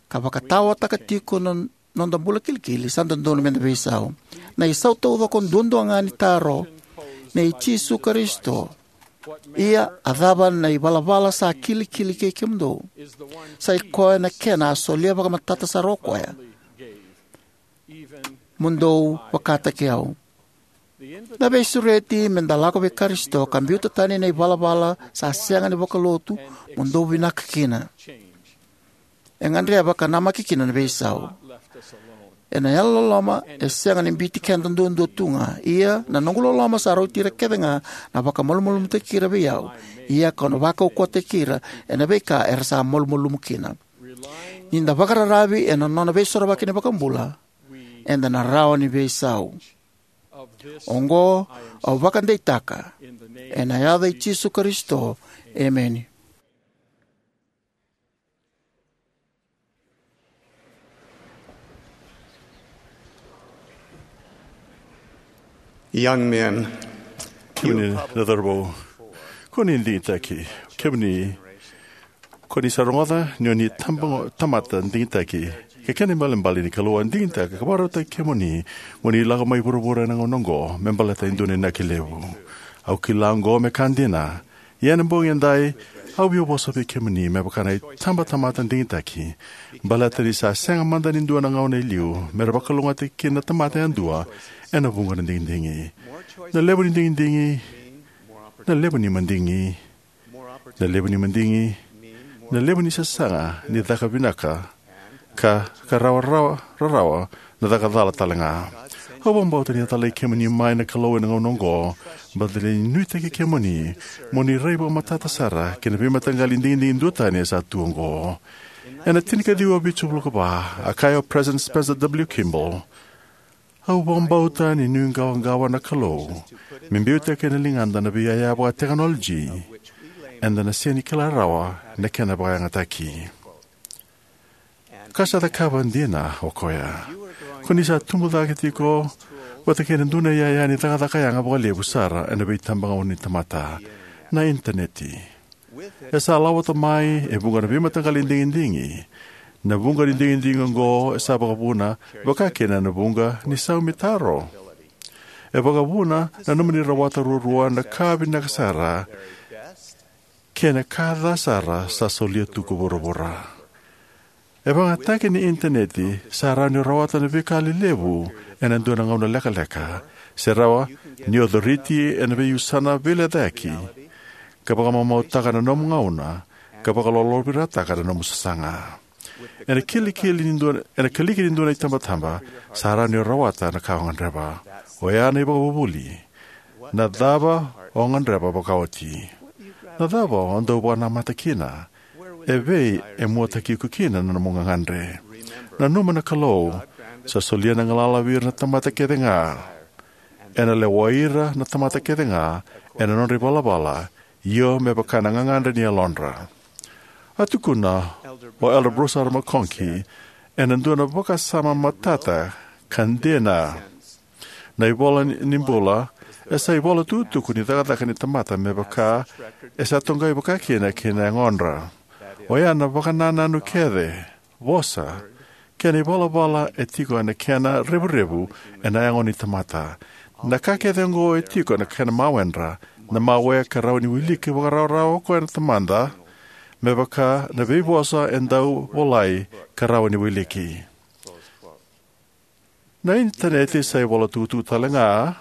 ka vakatawataka tiko na noda bula kilikili, sa dodonu me da veisau. Na isau taucoko duadua ga ni taro, nei Jisu Karisito, ia a cava na ivalavala sa kilikili kei kemudou? Sa i koya na kena a solia vakamatata sara o koya, mo dou vakataki au. Na veisureti me da lako vei Karisito ka biuta tani na ivalavala sa sega ni vakalotu, mo dou vinaka kina. E gadreva ka namaki kina na veisau. Ena yalololoma e sega ni biuti keda duadua tu ga. Ia na noqu loloma sa rauti ira kece ga na vakamalumalumutaki ira vei au. Ia kau na vakaukauwataki ira ena veika era sa malumalumu kina. Ni da vakararavi ena nona veisorovaki na iVakabula, eda na rawa ni veisau. Oqo au vakadeitaka ena yaca i Jisu Karisito. Emeni. Young men, kemuni na cauravou, ko ni digitaki. Kemuni, ko ni sa rogoca ni o ni tamata digitaki. Ke kena ibalebale ni Kalou a digitaka ka vakarautaki kemuni mo ni lako mai vuravura ena gauna oqo me baleta e dua na inaki levu. Au kila oqo me ka dina. Ia ena bogi edai, au via vosa vei kemuni me vaka na itabatamata digitaki. Baleta ni sa sega mada ni dua na gauna e liu me ra vakalougatataki kina na tamata yadua ena vuqa na digidigi. Na levu ni digidigi, na levu ni madigi, na levu ni madigi, na levu ni sasaga ni caka vinaka, ka, ka rawarawa, rarawa na caka cala tale ga. Au vakabauta ni a talai kemuni mai na Kalou ena gauna oqo, baleta ni nuitaki kemuni mo ni rai vakamatata sara ki na veimataqali digidigi duatani e sa tu oqo. Ena tinikaciwa vitusagavulu ka va, a kaya o President Spencer W. Kimball, au vakabauta ni nuiqawaqawa na Kalou me biutaki ena ligada na veiyaya vakatekinolaji eda na sega ni kila rawa na kena vakayagataki. Ka sa cakava dina o koya. Ko ni sa tubu cake tiko vata kei na dua na iyaya ni cakacaka yaga vakalevu sara ena veitabagauna ni tamata, na Initaneti. E sa lawata mai e vuqa na veimataqali digidigi. Na vuqa ni digidigi oqo e sa vakavuna, vaka kina na vuqa ni sau me taro. E vakavuna na nomuni rawata ruarua na ka vinaka sara kei na ka ca sara sa solia tu ko vuravura. E vakayagataki ni Initaneti sa rawa ni o rawata na veika lelevu ena dua na gauna lekaleka, se rawa ni o coriti ena veiusana veilecayaki ka vakamamautaka na nomu gauna ka vakalolovirataka na nomu sasaga. Ena kilikili ni dua, ena kiliki ni dua na itabataba, sa rawa ni o rawata na ka o gadreva. Oya na ivakavuvuli. Na cava o gadreva vakaoti? Na cava o dau vakanamata kina? E vei e muataki iko kina na nomu gagadre? Nanuma na Kalou sa solia na galala vei ira na tamata kece ga. Ena lewai ira na tamata kece ga ena nodra ivalavala, io me vaka na gagadre ni yalodra. A tukuna o Elder Bruce R. McConkie ena dua na vakasama matata ka dina: Na ivola ni bula e sa ivola tukutuku ni cakacaka ni tamata me vaka e sa toqai vakakina ki na yagodra. Oya na vakanananu kece, vosa, kei na ivalavala e tiko ena kena revurevu ena yago ni tamata. Na ka kece oqo e tiko ena kena mawedra, na mawe ka rawa ni wiliki vakarawarawa o koya na tamata, me vaka na veivosa e dau volai ka rawa ni wiliki. Na Initaneti sa ivola tukutuku tale ga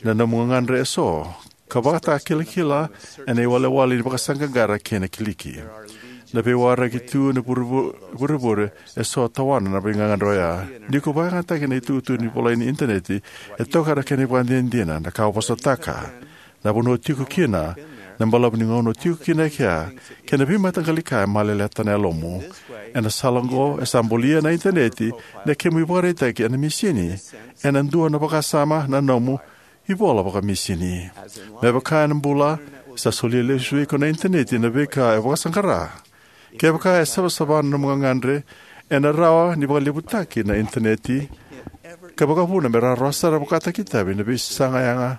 na nomu gagadre eso, ka vakatakilakila ena iwalewale ni vakasaqaqara kei na kiliki. Na veiwaraki tu ena vurevu-, vurevure eso tawana na veigagadre oya. Ni ko vakayagataki na itukutuku ni volai ni Initaneti, e toka na kena ivakadinadina, na ka o vosataka, na vanua o tiko kina, na balavu ni gauna o tiko kina e kea, kei na veimataqali ka e maleleta na yalomu. Ena sala oqo, e sa bulia na Initaneti na kemu ivakaraitaki ena misini, ena dua na vakasama na nomu ivola vakamisini. Me vaka ena bula, sa solia lesu vei iko na Initaneti na veika e vakasaqara. Kevaka e savasava na nomu gagadre, ena rawa ni vakalevutaki na Initaneti ka vakavuna me rawarawa sara vakataki itavi na veisaga yaga.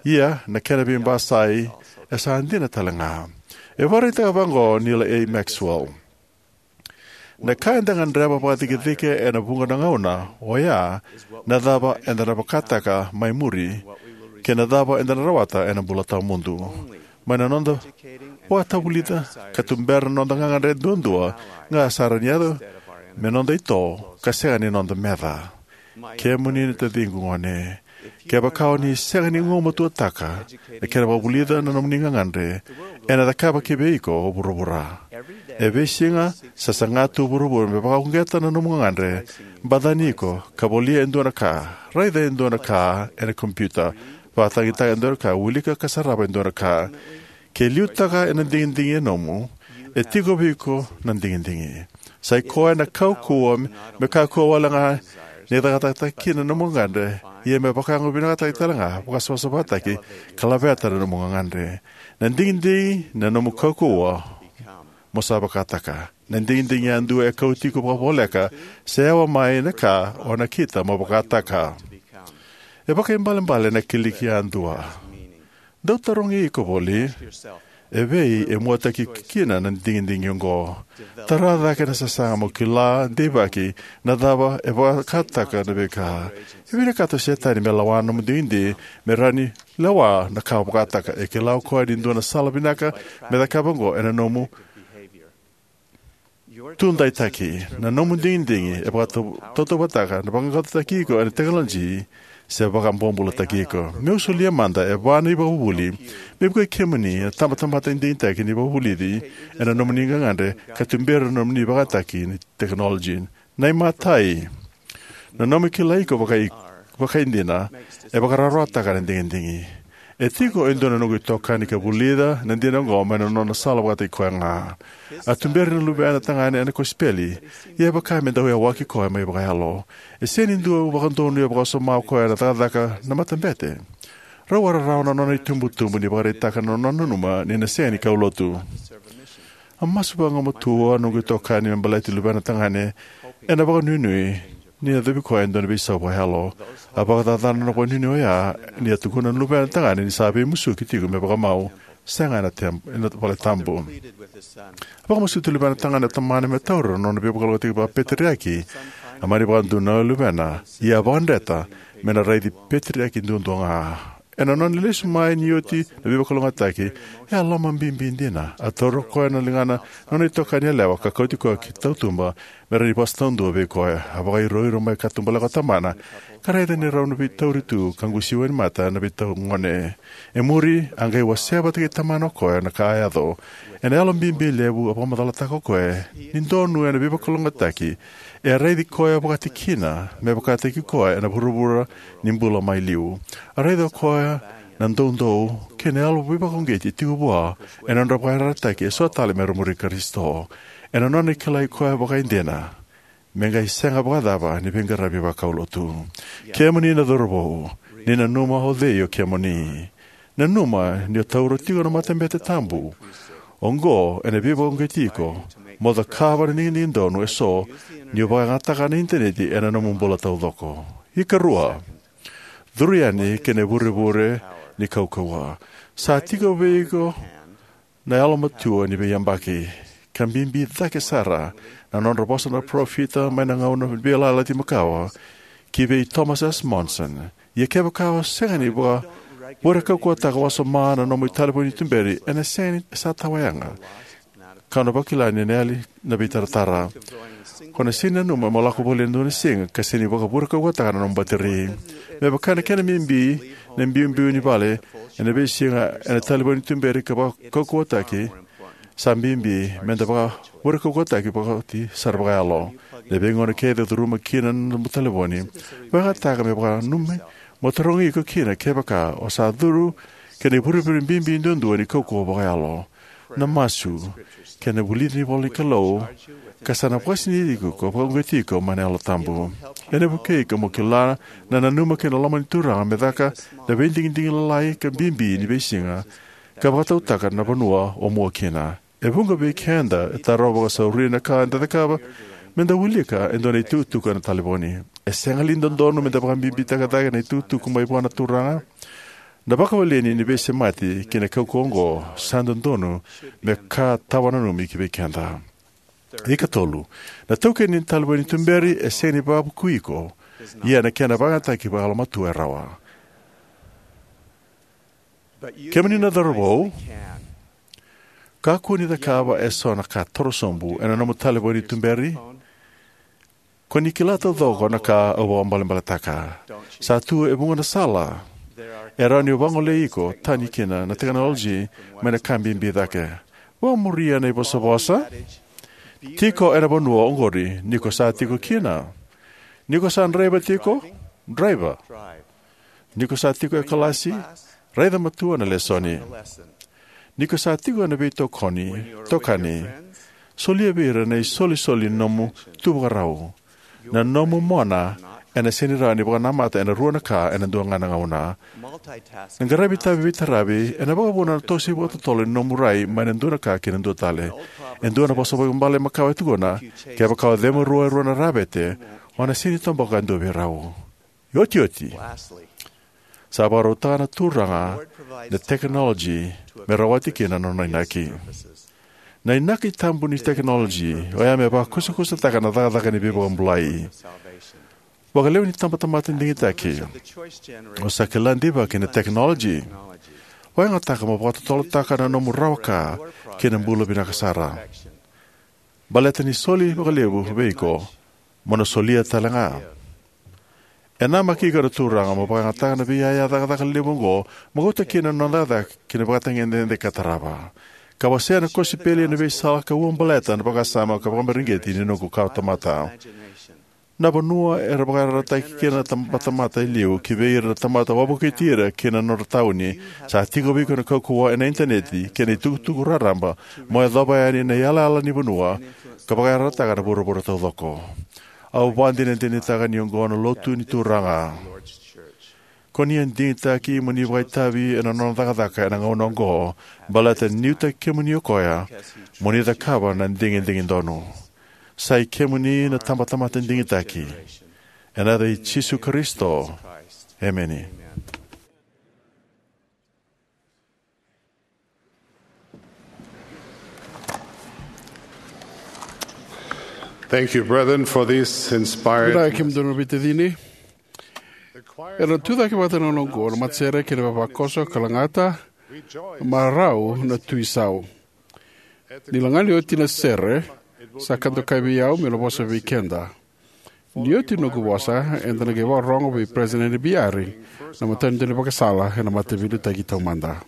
Ia, na kena veibasai e sa dina tale ga. E vakaraitaka vaqo o Neal A. Maxwell: Na ka eda gadreva vakacikecike ena vuqa na gauna, oya na cava eda na vakataka mai muri, kei na cava eda na rawata ena bula tawamudu. Mai na noda vakatavulica ka tubera na noda gagadre duadua ga sa rawa ni yaco me noda ito ka sega ni noda meca. Kemuni na taciqu gone, kevaka o ni sega ni gumatuataka na kena vakavulica na nomuni gagadre, ena cakava kivei iko o vuravura. E veisiga, sa saga tu o vuravura me vakauqeta na nomu gagadre, bacani iko ka volia e dua na ka, raica e dua na ka ena kompiuta, vakatagitaka e dua na ka, wilika ka sarava e dua na ka. Ke liutaka ena digidigi e nomu, e tiko vei iko na digidigi. Sai koya na kaukauwa me kakua wale ga ni cakacakataki kina na nomu gagadre, ia me vakayago vinakataki tale ga, vakasavasavataki, ka laveta na nomu gagadre. Na digidigi na nomu kaukauwa mo sa vakataka. Na digidigi yadua e kauti iko vakavoleka se yawa mai na ka o nakita mo vakataka. E vakaibalebale na kiliki yadua. Dau tarogi iko voli, e vei e muataki kina na digidigi oqo? Tara cake na sasaga mo kila deivaki na cava e vakataka na veika. E vinakata o Setani me lawa na nomu digidigi, me rawa ni lewa na ka o vakataka. E kila o koya ni dua na sala vinaka me cakava oqo ena nomu tudaitaki. Na nomu digidigi e vakatautauvatataka na vaqaqacotaki iko ena tekinoloji se vakabobulataki iko. Meu solia mada e va na ivakavuvuli me vukei kemuni na tabatamata digitaki ni vakavulici ena nomuni gagadre ka tuberi na nomuni vakayagataki ni tekinoloji. Na imatai, na nomu kilai iko vakai, vakaidina e vakarawarawataka na digidigi. E tiko e dua na noqu itokani ka vulica na dina oqo mai na nona sala vakataki koya ga. A tuberi na luvena tagane ena kosipeli, ia e vaka me dau yawaki koya mai vakayalo. E sega ni dau vakadonui vakawasoma o koya na cakacaka na matabete. Rau a rarawa na nona itubutubu ni vakaraitaka na nona nanuma ni na sega ni kaulotu. A masu vagumatua noqu itokani me baleti luvena tagane ena vakanuinui ni yacovi koya e dua na veisau vakayalo. A vakacacana na vakanuinui oya ni a tukuna na luvena tagane ni sa veimusuki tiko me vakamau, sega ena tem-, ena valetabu. A vakamasuti luvena tagane o tamana me taura na nona veivakalougatataki vakapeteriaki A mani vakadonui na luvena, ia a vakadreta me na raici peteriaki duadua ga. Ena nona lesu mai ni oti na veivakalougatataki, e a lomabibi dina. A taura o koya na ligana na nona itokani yalewa ka kauti koya ki tautuba me rawa ni vosa taudua vei koya. A vakairoiro mai katubaleka o tamana, ka raica ni rau na veitauri tu ka gusi wainimata na veitau gone. E muri, a qai wasea vata kei tamana o koya na ka a yaco. Ena yalo bibi levu, a vakamacalataka o koya ni donu ena veivakalougatataki, e a raici koya vakatikina me vakataki koya ena vuravura ni bula mai liu. A raica o koya na doudou kei na yalo veivakauqeti e tiko vua ena nodra vakayarayarataki eso tale me ra muri Karisito. Ena nona kilai koya vakaidina, me qai sega vakacava ni veiqaravi vakaulotu. Kemuni na cauravou, ni nanuma o cei o kemuni. Nanuma ni o taura tiko na matabete tabu oqo ena veivakauqeti iko mo cakava na digidigi donu eso ni o vakayagataka na initaneti ena nomu bula taucoko. Ikarua, curu yani ki na ivurevure ni kaukauwa. Sa tiko vei iko na yalomatua ni veiyabaki, ka bibi cake sara na nodra vosa na parofita mai na gauna ni Veiyalayalati Makawa ki vei Thomas S. Monson. Ia kevaka o sega ni vakavureqetaka wasoma na nomu italevoni ni tuberi, ena sega ni sa tawayaga, ka o na vakila ni na yali na veitaratara. Ko na sega ni nanuma mo lako voli ena dua na siga ka sega ni vakavureqetaka na nomu bateri. Me vaka na kena bibi na biubiu ni vale ena veisiga ena talevoni ni tuberi ka vakaukauwataki, sa bibi me da vakavureqetaki vakaoti sara vakayalo. Na veigauna kece o curuma kina na nomu talevoni, vakayagataka me vakananumi mo tarogi iko kina kevaka o sa curu ki na ivurevure bibi duadua ni kaukauwa vakayalo, na masu, kei na vulici ni ivolanikalou, ka sa na vakasinaiti iko ka vakauqeti iko mai na Yalo Tabu. Ena vukei iko mo kila na nanuma kei na loma ni Turaga me caka na veidigidigi lalai ka bibi ni veisiga, ka vakatautaka na vanua o mua kina. E vuqa vei keda e tarova vakasauri na ka eda cakava me da wilika e dua na itukutuku ena talevoni. E sega li ni dodonu me da vakabibitaka cake na itukutuku mai vua na Turaga? Na vakawaleni ni veisemati ki na kaukauwa oqo sa dodonu me ka tawa nanumi ki vei keda. Ikatolu, na taukeni ni talevoni ni tuberi e sega ni vakavukui iko, ia na kena vakayagataki vakayalomatua e rawa. Kemuni na cauravou, kakua ni cakava eso na ka torosobu ena nomu talevoni ni tuberi. Ko ni kila taucoko na ka au vakabalebaletaka. Sa tu e vuqa na sala e rawa ni vagolei iko tani kina na tekinoloji mai na ka bibi cake. Vakamuria na ivosavosa. Tiko ena vanua oqori ni ko sa tiko kina. Ni ko sa draiva tiko, draiva. Ni ko sa tiko e kalasi, raica matua na lesoni. Ni ko sa tiko ena veitokoni, tokani, solia vei ira na isolisoli ni nomu tuvakarau. Na nomu mona ena sega ni rawa ni vakanamata ena rua na ka ena dua ga na gauna. Na qaravi tavi veitaravi ena vakavuna na toso vakatotolo ni nomu rai mai na dua na ka ki na dua tale. E dua na vosa vakaibalebale makawa e tukuna, kevaka o cema rua e rua na ravete, o na sega ni toboka e dua vei rau. Iotioti, sa vakarautaka na Turaga na tekinoloji me rawati kina na nona inaki. Na inaki tabu ni tekinoloji oya me vakusakusataka na cakacaka ni veivakabulai. Vakalevu ni tabatamata digitaki o sa kila deivaki na tekinoloji. Vakayagataka mo vakatotolotaka na nomu rawa ka ki na bula vinaka sara. Baleta ni soli vakalevu vei iko, mo na solia tale ga. E namaki iko na Turaga mo vakayagataka na veiyaya cakacaka levu oqo, mo kauta kina na nona cakacaka ki na vakatagedegede ka tarava. Ka wasea na kosipeli ena veisala ka ua baleta na vakasama ka vakamareqeti ni noqu kawatamata. Na vanua era vakayarayarataki kina na tabatamata e liu ki vei ira na tamata wavokiti ira ki na nodra tauni, sa tiko vei iko na kaukauwa ena initaneti kei na itukutuku raraba mo yacova yani na iyalayala ni vanua ka vakayarayarataka na vuravura taucoko. Au vakadinadinataka ni oqo na lotu ni Turaga. Ko ni a digitaki mo ni vakaitavi ena nona cakacaka ena gauna oqo, baleta ni liutaki kemuni o koya mo ni cakava na digidigi donu. Sa i kemuni na tabatamata digitaki. Ena yaca i Jisu Karisito. Emeni. Thank you, brethren, for this inspired. Vinaka kemudou na veitacini. Era na tucake vata na gauna oqo na matasere kei na vavakoso ka lagata, marau na Tui Sau. Ni laga ni oti na sere, sa ka dokai vei au meu na vosa vei keda. Ni oti noqu vosa, eda na qai vakarorogo vei President Biari na matanitu ni vakasala ena Mataveiliutaki Taumada.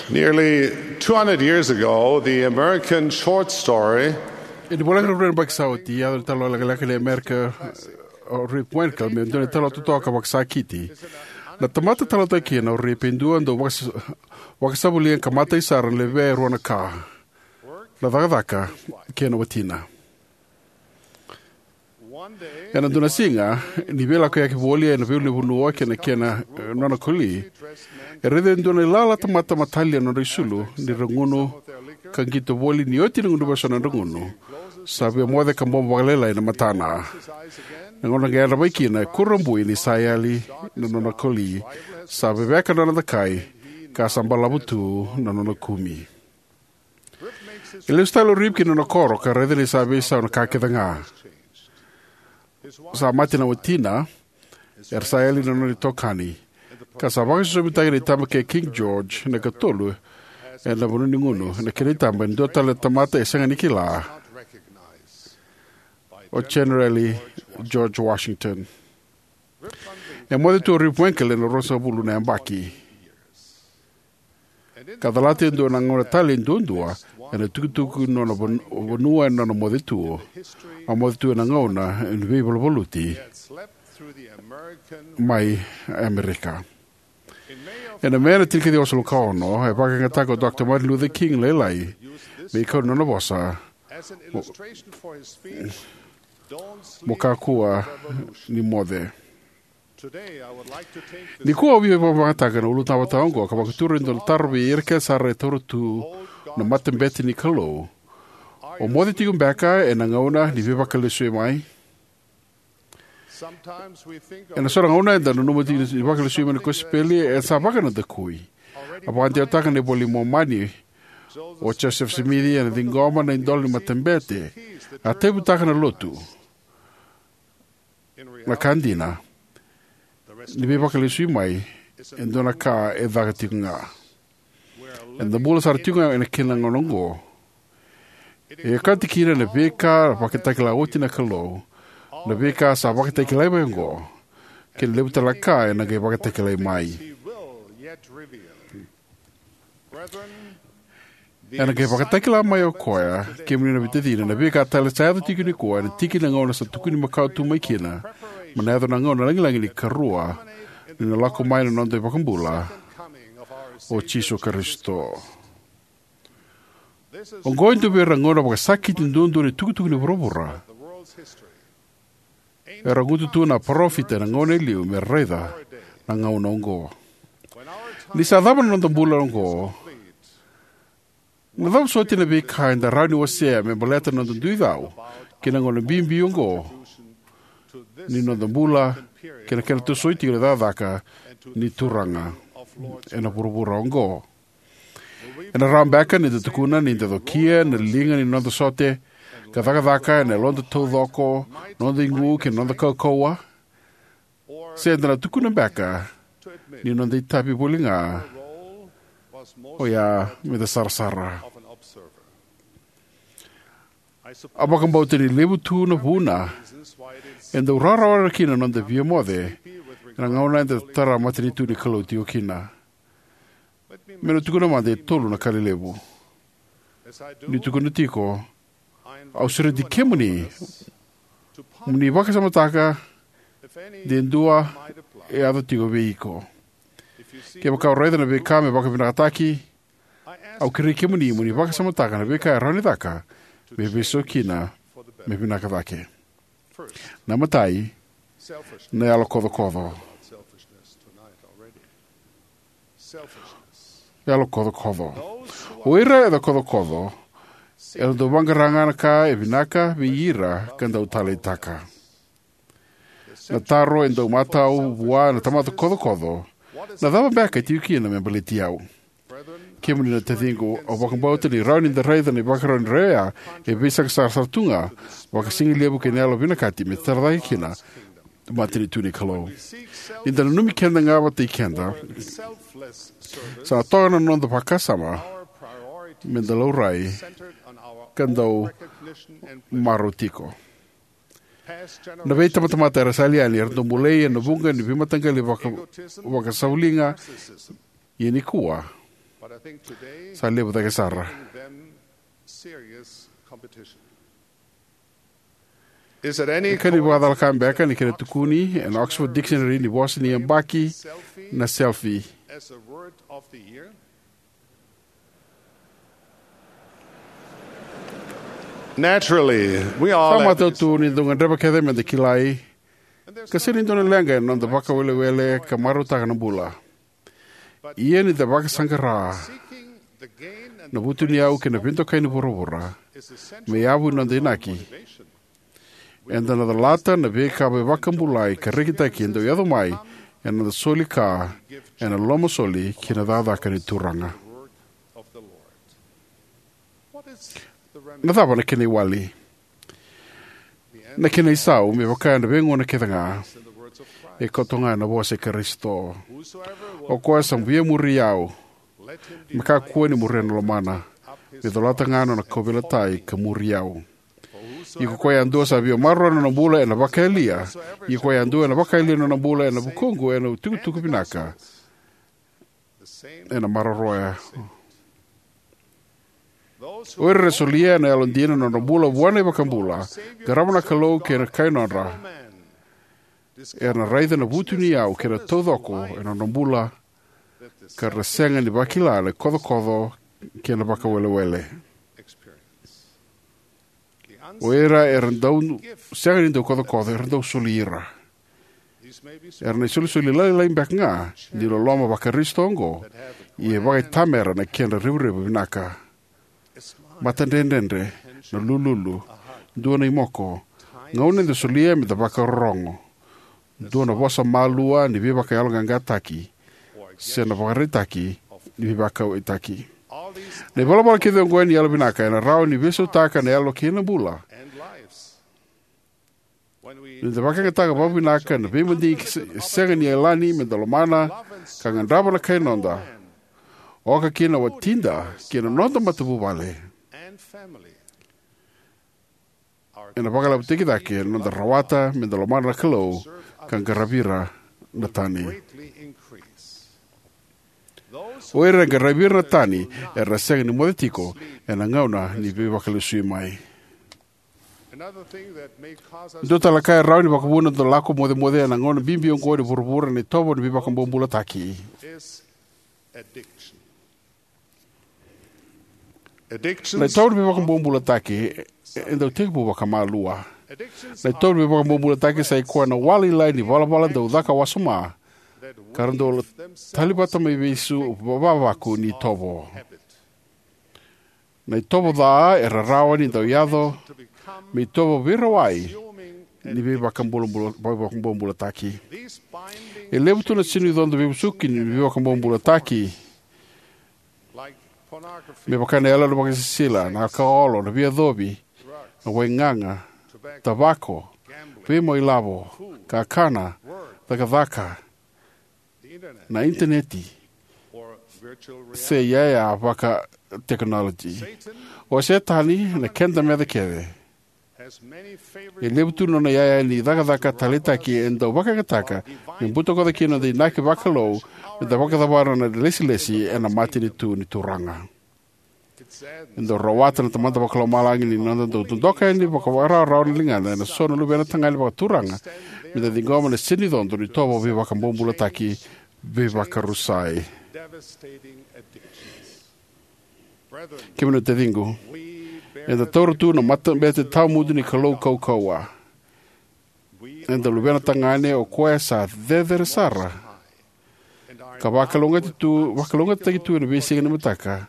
Nearly two hundred years ago, the American short story. E ni voleka na rua na yabaki sa oti, yaco na talo lekaleka ni Amerika, o Rip Van Winkle, me dua na talo totoka vakasakiti. Na tamata talanoataki kina o Rip e dua dau vakas-, vakasavuliga ka matai sara na levea e rua na ka: na cakacaka kei na watina. Ena dua na siga, ni veilakoyaki voli ena veiulunivanua kei na kena, eh, nona koli, e raica e dua na ilala tamata matalia na nodra isulu ni ra gunu ka qito voli. Ni oti na gunuva eso na nodra gunu, sa via moce ka bobo vakalailai na matana. Na gauna ga e yadra mai kina, e kurabui ni sa yali na nona koli, sa veveka na nona dakai, ka sa balavu tu na nona kumi. E lesu tale o Rip ki na nona koro ka raica ni sa veisau na ka kece ga. Sa mate na watina, era sa yali na nona itokani, ka sa vakaisosomitaki na itaba kei King George na ikatolu ena vanua ni gunu, ena kena itaba e dua tale na tamata e sega ni kila, o General George Washington. E moce tu o Rip Van Winkle ena ruasagavulu na yabaki. Ka calata e dua na gauna tale duadua ena itukutuku ni nona van-, vanua ena nona moce tu. A moce tu ena gauna ni veivaluvaluti mai Amerika. Ena Me na tinikaciwa walusagavulu ka ono, e vakayagataka o Dr Martin Luther King Lailai me ikau ni nona vosa, mo kakua ni moce. Nikua au via vakavakayagataka na ulutaga vata oqo ka vakatura e dua na taro vei ira kece sara e taura tu na matabete ni Kalou: O moce tiko beka ena gauna ni Veivakalesuimai? Ena so na gauna eda nanuma ni Veivakalesuimai ni kosipeli e sa vakanadakui. A vakadewataka na iVola i Momani o Josefa Simici ena ciqoma na idola ni matabete, a tauyavutaka na Lotu, na ka dina, ni Veivakalesuimai e dua na ka e caka tiko ga. Eda bula sara tiko ga kina ena gauna oqo. E okati kina na veika a vakatakila oti na Kalou, na veika sa vakatakilai mai oqo, kei na levu tale na ka ena qai vakatakilai mai. Ena qai vakatakila mai o Koya, kemuni na veitacini, na veika tale sa yaco tiko nikua ena tiki ni gauna sa tukuni makawa tu mai kina me na yaco na gauna lagilagi ni ikarua ni na lako mai na noda iVakabula, o Jisu Karisito. Oqo e dua vei ira na gauna vakasakiti duadua ni itukutuku ni vuravura. Era gutu tu na parofita ena gauna e liu me ra raica na gauna oqo. Ni sa cava na noda bula oqo, na cava soti na veika eda rawa ni wasea me baleta na noda dui cau ki na gauna bibi oqo ni noda bula kei na kena tosoi tiko na cakacaka ni Turaga ena vuravura oqo? Ena rawa beka ni da tukuna ni da cokia na liga ni noda sote ka cakacaka ena yaloda taucoko, noda igu, kei na noda kaukauwa? Se da na tukuna beka ni noda itavi voli ga oya me da sarasara? Au vakabauta ni levu tu na vuna e dau rawarawa kina na noda via moce ena gauna eda tara matanitu ni Kalou tiko kina. Meu na tukuna mada e tolu na ka lelevu. Niu tukuna tiko, au sureti kemuni mo ni vakasamataka de dua e yaco tiko vei iko. Kevaka o raica na veika me vakavinakataki, au kerei kemuni mo ni vakasamataka na veika e rawa ni caka me veisau kina me vinaka cake. Na imatai, na yalokocokoco. Yalokocokoco. O ira era kocokoco era dau vaqara ga na ka e vinaka vei ira ka dau taleitaka. Na taro e dau matau vua na tamata kocokoco: Na cava beka e tiko kina me baleti au? Kemuni na taciqu, au vakabauta ni rawa ni da raica na ivakarau ni rai oya e veisaqasaqa sara tu ga, vakasigalevu kei na yalo vinakati me tara cake kina na matanitu ni Kalou. Ni da nanumi keda ga vakataki keda, sa toka na noda vakasama me da laurai ka dau marau tiko. Na veitabatamata era sa yali yani era dau bolei ena vuqa ni veimataqali vaka, vakasavuliga, ia nikua sa levu cake sara. E ka ni vakacala ka beka ni kena tukuni ena Oxford Dictionary ni vosa ni yabaki na selfie? Naturally, we all Sa have matau tu ni dau gadreva kece me da kilai, ka sega ni dua na leqa ena noda vakawelewele ka marautaka na bula. Ia ni da vakasaqara na vutuniyau kei na veidokai ni vuravura me yavu ni noda inaki, eda na calata na veika veivakabulai ka rekitaki e dau yaco mai ena noda soli ka ena lomasoli ki na cakacaka ni Turaga. Na cava na kena iwali? Na kena isau, me vaka ena veigauna kece ga, e koto ga ena vosa i Karisito: O koya sa via muri au, me kakua ni muria na lomana, me colata ga na nona kauveilatai ka muri au. Ia ko koya yadua sa via maroroya na nona bula ena vakayalia, ia ko koya yadua ena vakayalia na nona bula ena vukuqu ena itukutuku vinaka, ena maroroya. O ira era solia ena yalodina na nodra bula vua na iVakabula, qarava na Kalou kei na kai nodra, era na raica na vutuniyau kei na taucoko ena nodra bula ka ra sega ni vakila na kocokoco kei na vakawelewele. O ira era dau sega ni dau kocokoco era dau soli ira. Era na isolisoli lailai beka ga ni loloma vaKarisito oqo, ia e vakaitamera na kedra revurevu vinaka. Matadredredre, na lululu, dua na imoko, gauna eda solia me da vakarorogo, dua na vosa malua ni veivakayaloqaqataki, se na vakaraitaki ni veivakauwaitaki. Na ivalavala kece oqo ni yalovinaka ena rawa ni veisautaka na yalo kei na bula. Ni da vakayagataka vakavinaka na veimadigi se- sega ni yalani me da lomana ka gadreva na kai noda, oka kina watida kei na noda matavuvale, ena vakalavutaki cake na noda rawata me da lomana na Kalou ka qaravi ira na tani. O ira e qaravi ira na tani era na sega ni moce tiko ena gauna ni veivakalesui mai. Dua tale na ka e rawa ni vakavuna na noda lako mocemoce ena gauna bibi oqo ni vuravura na itovo ni veivakabobulataki. Na itovo ni veivakabobulataki e dau tekivu vakamalua. Na itovo ni veivakabobulataki sa i koya na walailai ni valavala dau caka wasoma ka ra dau tali vata mai vei su vavaku ni itovo. Na itovo ca era rawa ni dau yaco me itovo veirawai ni veivakabobula- veivakabobulataki. E levu tu na sinu icodo veivusuki ni veivakabobulataki, me vaka na yalo na vakasisila, na alakaolo, na veiyacovi, na waigaga, tavako, veimauilavo, kakana, cakacaka, na initaneti, se iyaya vaka tekinoloji. O Setani, na keda meca kece, e levu tu na nona iyaya ni cakacaka taleitaki e dau vakayagataka me butakoca kina na noda inaki vakalou me da vakacavara na ilesilesi ena matanitu ni Turaga. E dau rawata na Tamada Vakalomalagi ni noda dau dodoka yani vakarawarawa na ligada ena so na luvena tagane vakaturaga me da ciqoma na sinu icodo ni itovo veivakabobulataki veivakarusai. Kemuni na taciqu, eda taura tu na matabete tawamudu ni Kalou kaukauwa. Eda luvena tagane o koya sa cecere sara ka vakalougatataki tu, vakalougatataki tu ena veisiga ni mataka.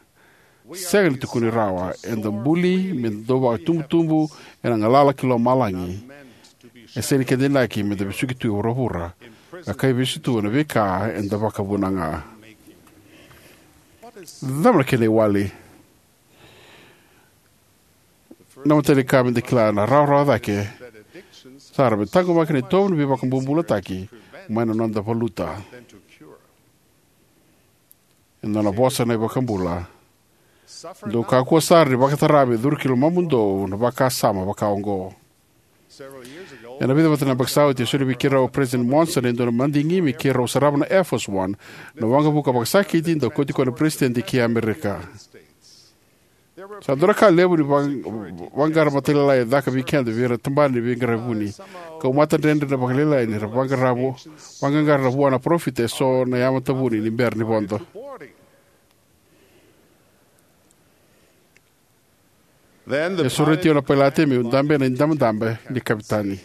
Sega ni tukuni rawa, eda buli me da dau vakatubutubu ena galala ki lomalagi. E sega ni keda inaki me da vesuki tu e vuravura ka kaivesu tu ena veika eda vakavuna ga. Cava na kena iwali? Na matai ni ka me da kila na rawarawa cake sara me taqomaki na itovo ni veivakabobulataki mai na noda valuta. E dua na vosa na iVakabula: dou kakua sara ni vakatara me curu ki lomamudou na vakasama vaka oqo. Ena vica vata na yabaki sa oti, e solia vei keirau o President Monson e dua na madigi me keirau sarava na Air Force One, na waqavuka vakasakiti dau kauti koya na peresitedi ki Amerika. Sa dua na ka levu ni va- vaqara matailalai e caka vei keda vei ira na tabana ni veiqaravi vuni, kau matadredre na vakalailai ni ra vaqara vo- vaqaqara vua na parofita eso na yamata vuni ni bera ni vodo. E sureti au na pailate meu dabe ena idabedabe ni kavetani.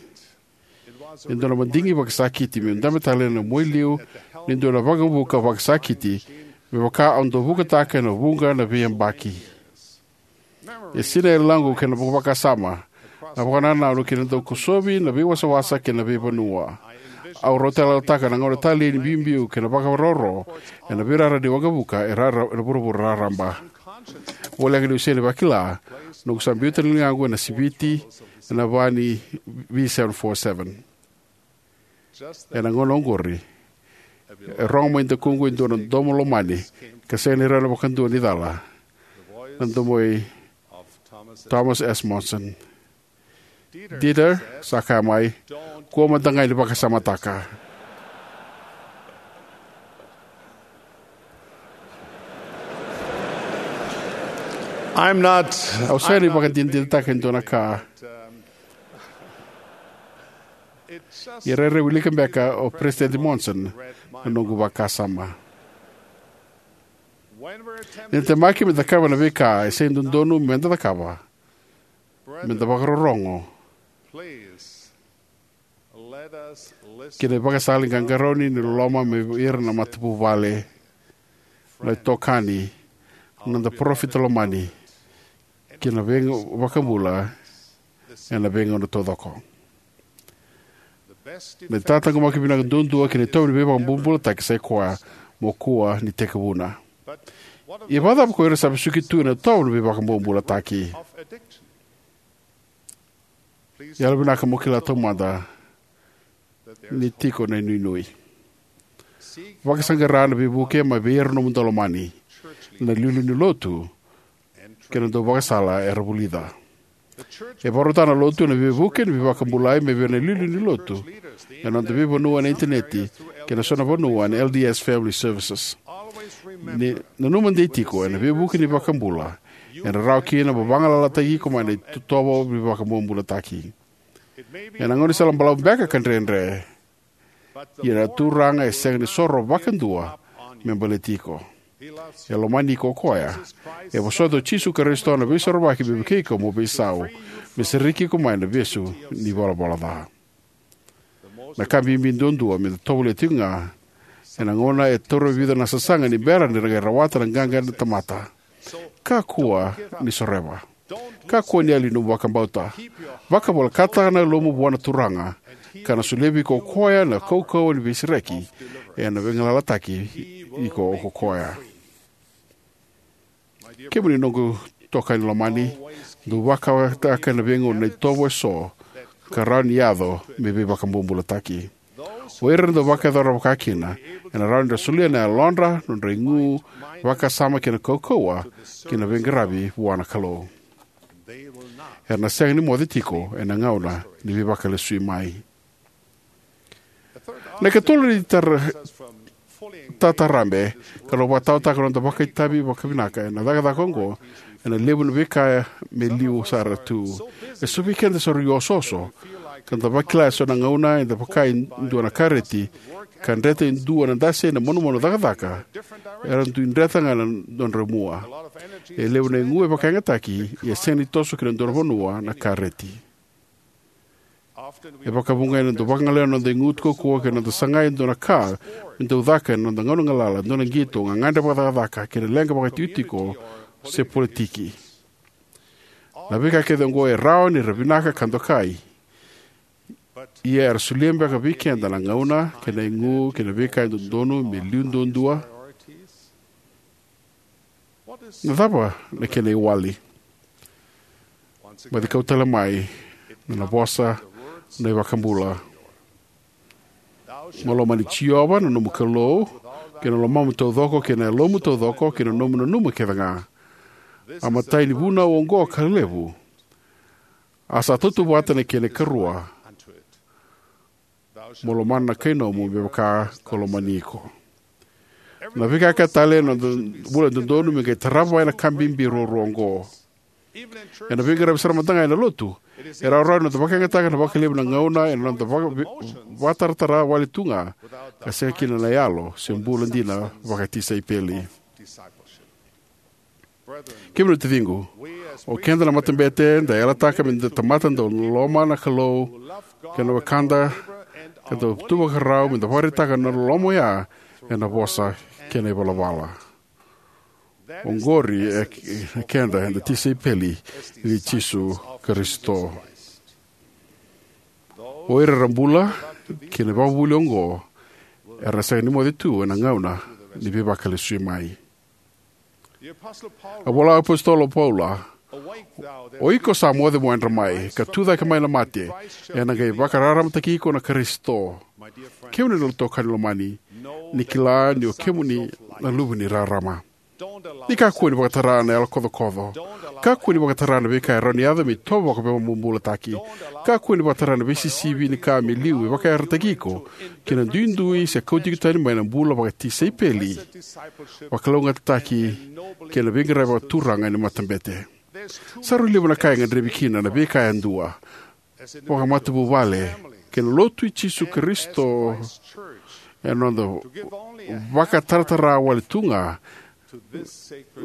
E dua na madigi vakasakiti meu dabe tale ena mua i liu ni dua na waqavuka vakasakiti, me vaka au dau vukataka ena vuqa na veiyabaki. E sinai e yaloqu kei na vakasama na vakanananu kei na dau kosovi na veiwasawasa kei na veivanua. Au raitayaloyalotaka na gauna talei ni biubiu kei na vakaroro ena veirara ni waqavuka e rara ena vuravura raraba. Voleka niu sega ni vakila, noqu sa biuta na ligaqu ena siviti ena va ni V seven four seven. Ena gauna oqori, e rogo mai dakuqu e dua na domo lomani ka sega ni rawa vakadua ni cala. Na domo i Thomas S. Monson. "Dieter," sa kaya mai, "kua mada ga ni vakasamataka." I'm not. Au sega ni vakadinadinataka e dua na ka. Ia rairai wilika beka o President Monson na noqu vakasama. Ni da temaki me da cakava na veika e sega ni dodonu me da cakava, me da vakarorogo ki na ivakasala ni qaqarauni ni loloma mai vei ira na matavuvale, na itokani, na noda parofita lomani, kei na iVakabula ena veigauna taucoko. Na itataqomaki vinaka duadua ki na itovo ni veivakabulabulataki sai koya mo kua ni tekivuna. Ia vakacava ko ira sa vesuki tu ena itovo ni veivakabulabulataki? Yalovinaka mo kila taumada ni tiko na inuinui. Vakasaqara na veivuke mai vei ira na nomu daulomani, na iliuliu ni lotu, kei na dauvakasala era vulica. E vakarautaka na lotu na veivuke ni veivakabulai mai vei ira na iliuliu ni lotu ena noda veivanua ena initaneti kei na so na vanua ena L D S Family Services. Ni nanuma dei tiko ena veivuke ni iVakabula, ena rawa kina mo vagalalataki iko mai na itovo ni veivakabulabulataki. Ena gaunisala balavu beka ka dredre, ia na Turaga e sega ni soro vakadua me baleti iko. E lomani iko o koya. E vosota o Jisu Karisito na Veisorovaki me vukei iko mo veisau, me sereki iko mai na ivesu ni valavala ca. Na ka bibi duadua me da tovolea tiko ga ena gauna e taura vica na sasaga ni bera ni ra qai rawata na qaqa na tamata. Kakua ni soreva. Kakua ni yali nomu vakabauta. Vakavolekata na yalomu vua na Turaga, ka na solia vei iko o koya na kaukauwa ni veisereki ena vagalalataki iko o koya. Kemuni noqu itokani lomani, dou vakataka ena veigauna na itovo eso ka rawa ni yaco me veivakabobulataki. O ira era dau vakayacora vakakina, ena rawa ni ra solia na yalodra, nodra igu, vakasama kei na kaukauwa ki na veiqaravi vua na Kalou. Era na sega ni moce tiko ena gauna ni veivakalesui mai. Na ikatolu ni tara-, tatarabe ka na vakataotaka na noda vakaitavi vakavinaka ena cakacaka oqo, ena levu na veika me liu sara tu. E so vei keda sa rui osooso, ka da vakila e so na gauna eda vaka e dua na kareti, ka dreta e dua na dase ena manumanu cakacaka, era dui dreta ga na nodra mua. E levu na igu e vakayagataki, ia e sega ni toso ki na dua na vanua na kareti. E vakavuqa eda dau vakagaleya na noda igu kaukauwa kei na noda sagai e dua na ka me dau caka ena noda gauna galala, dua na qito, gagadre vakacakacaka, kei na leqa vakaitikotiko se politiki. Na veika kece oqo e rawa ni ra vinaka ka dokai. Ia era solia beka vei keda na gauna kei na igu kei na veika e dodonu me liu duadua? Na cava na kena iwali? Baci kau tale mai na, na vosa na iVakabula. Mo lomani Jiova na nomu Kalou kei na lomamu taucoko, kei na yalomu taucoko, kei na nomu nanuma kece ga. A matai ni vunau oqo ka levu. A sa tautauvata na kena ikarua. Mo lomana na kai nomu me vaka ko lomani iko. Na veika kece tale ena noda bula e dodonu me qai tarava ena ka bibi ruarua oqo. Ena veiqaravi sara mada ga ena lotu, e rawarawa na noda vakayagataka na vakalevu na gauna ena noda vaka-, ve-, vakataratara wale tu ga, ka sega kina na yalo se bula dina vakatisaipeli. Kemuni na taciqu, o keda na matabete da yalataka me da tamata dau loloma na Kalou kei na wekada, ka dau tu vakarau me da vakaraitaka na loloma oya ena vosa kei na ivalavala. Oqori e, e keda eda tisaipeli ni Jisu Karisito. O ira era bula ki na ivakavuvuli oqo era na sega ni moce tu ena gauna ni veivakalesui mai. A vola o apositolo Paula, "O iko sa moce mo yadra mai, ka tu cake mai na mate, ena qai vakararamataki iko na Karisito." Kemuni na itokani lomani, ni kila ni o kemuni na luve ni rarama. Ni kakua ni vakatara na yalo kocokoco. Kakua ni vakatara na veika e rawa ni yaco me itovo vakaveivakamamabulataki. Kakua ni vakatara na veisisivi ni ka me liu me vakayarayarataki iko ki na duidui se kauti iko tani mai na bula vakatisaipeli, vakalougatataki, kei na veiqaravi vakaturaga ena matabete. Sa rui levu na ka e gadrevi kina na veika yadua, vakamatavuvale, kei na lotu i Jisu Karisito, ena noda vakataratara wale tu ga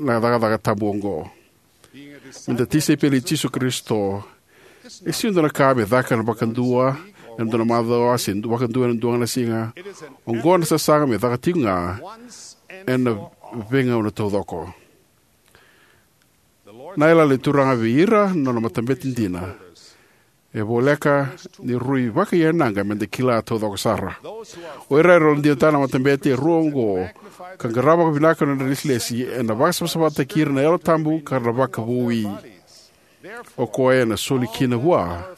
na cakacaka tabu oqo. Me da tisaipeli i Jisu Karisito, e sega ni dua na ka me caka ena vakadua ena dua na macawa se vakadua ena dua ga na siga. Oqo na sasaga me caka tiko ga ena veigauna taucoko. Na yalayala ni Turaga vei ira na nona matabete dina e voleka ni rui vakaiyaga me da kila taucoko sara. O ira era yalodinataka na matabete e rua oqo ka qarava vakavinaka na nona ilesilesi ena vakasavasavataki ira na Yalo Tabu ka ra na vakavoui. O koya ena soli kina vua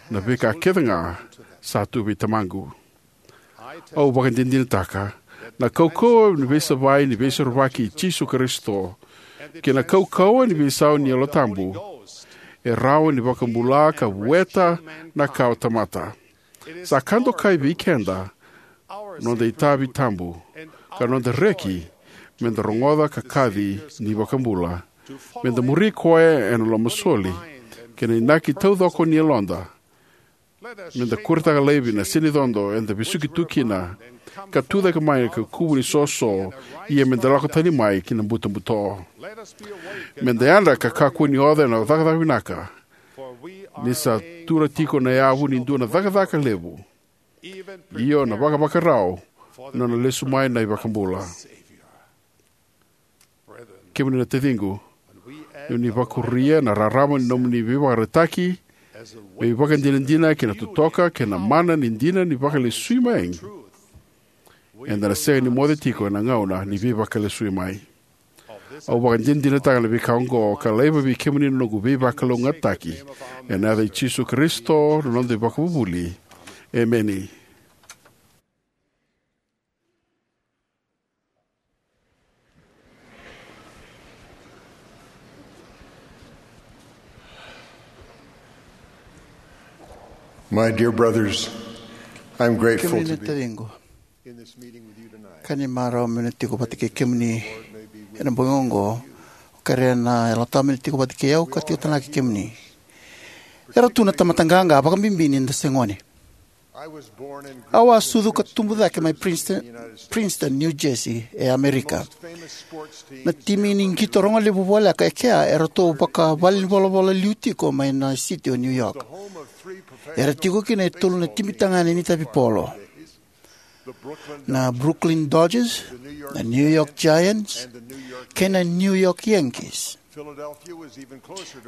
na veika kece ga sa tu vei Tamaqu. Au vakadinadinataka na kaukauwa ni veisavai ni Veisorovaki i Jisu Karisito kei na kaukauwa ni veisau ni Yalo Tabu e rawa ni vakabula ka vueta na kawatamata. Sa ka dokai vei keda noda itavi tabu ka noda reki me da rogoca ka kaci ni iVakabula, me da muri koya ena lomasoli kei na inaki taucoko ni yaloda. Me da kuretaka laivi na senicodo eda vesuki tu kina ka tucake mai ka kuvu ni soso, ia me da lako tani mai ki na butobuto. Me da yadra ka kakua ni oca ena cakacaka vinaka, ni sa tura tiko na yavu ni dua na cakacaka levu, io na vakavakarau ni nona lesu mai na iVakabula. Kemuni na taciqu, ni oni vakuria na rarama ni nomuni veivakaraitaki me ivakadinadina kei na totoka kei na mana ni dina ni vakalesui mai, eda na sega ni moce tiko ena gauna ni veivakalesui mai. Au vakadinadinataka na veika oqo ka laiva vei kemuni na noqu veivakalougatataki, ena yaca i Jisu Karisito na noda iVakavuvuli. Emeni. My dear brothers, I'm grateful Kemuni to na be taciqu, in this meeting with you tonight. Ka ni marau meu na tiko vata kei kemuni ena bogi oqo. Au kerea na Yalo Tabu me na tiko vata kei au ka tiko talega kei kemuni. Era tu na tamata qaqa, vakabibi ni da se gone. Au a sucu ka tubu cake mai Princeton, Princeton, New Jersey, e Amerika. Na timi ni qito rogo levu voleka e kea e ratou vakavalenivolavola liu tiko mai na siti o New York. Era tiko kina e tolu na timi tagane ni tavipolo: na Brooklyn Dodgers, na New York Giants, kei na New York Yankees.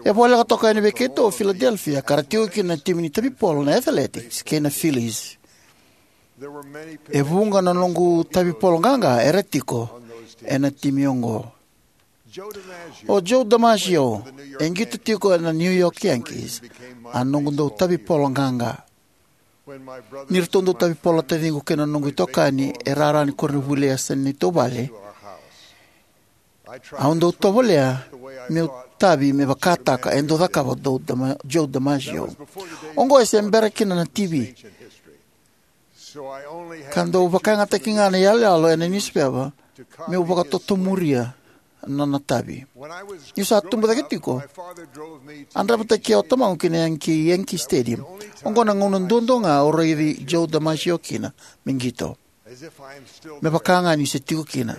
E voleka toka yani vei keitou o Philadelphia, ka ra tiko kina na timi ni tavipolo na Athletics kei na Phillies. E vuqa na noqu tavipolo qaqa era tiko ena timi oqo. O Joe DiMaggio, e qito tiko ena New York Yankees, a noqu dau tavipolo qaqa. Ni ratou dau tavipolo na taciqu kei na noqu itokani e rara ni koronivuli e yasa ni neitou vale, au dau tovolea meu tavi me vakataka e dau cakava o Dama-, Joe DiMaggio. Oqo e se bera kina na T V. Ka dau vakayagataki ga na iyaloyalo ena niusipeva meu vakatotomuria na nona tavi. Niu sa tubu cake tiko, a draivataki au o tamaqu ki na Yankee, Yankee Stadium. Oqo na gauna duadua ga au raici Joe DiMaggio kina me qito. Me vaka ga niu se tiko kina.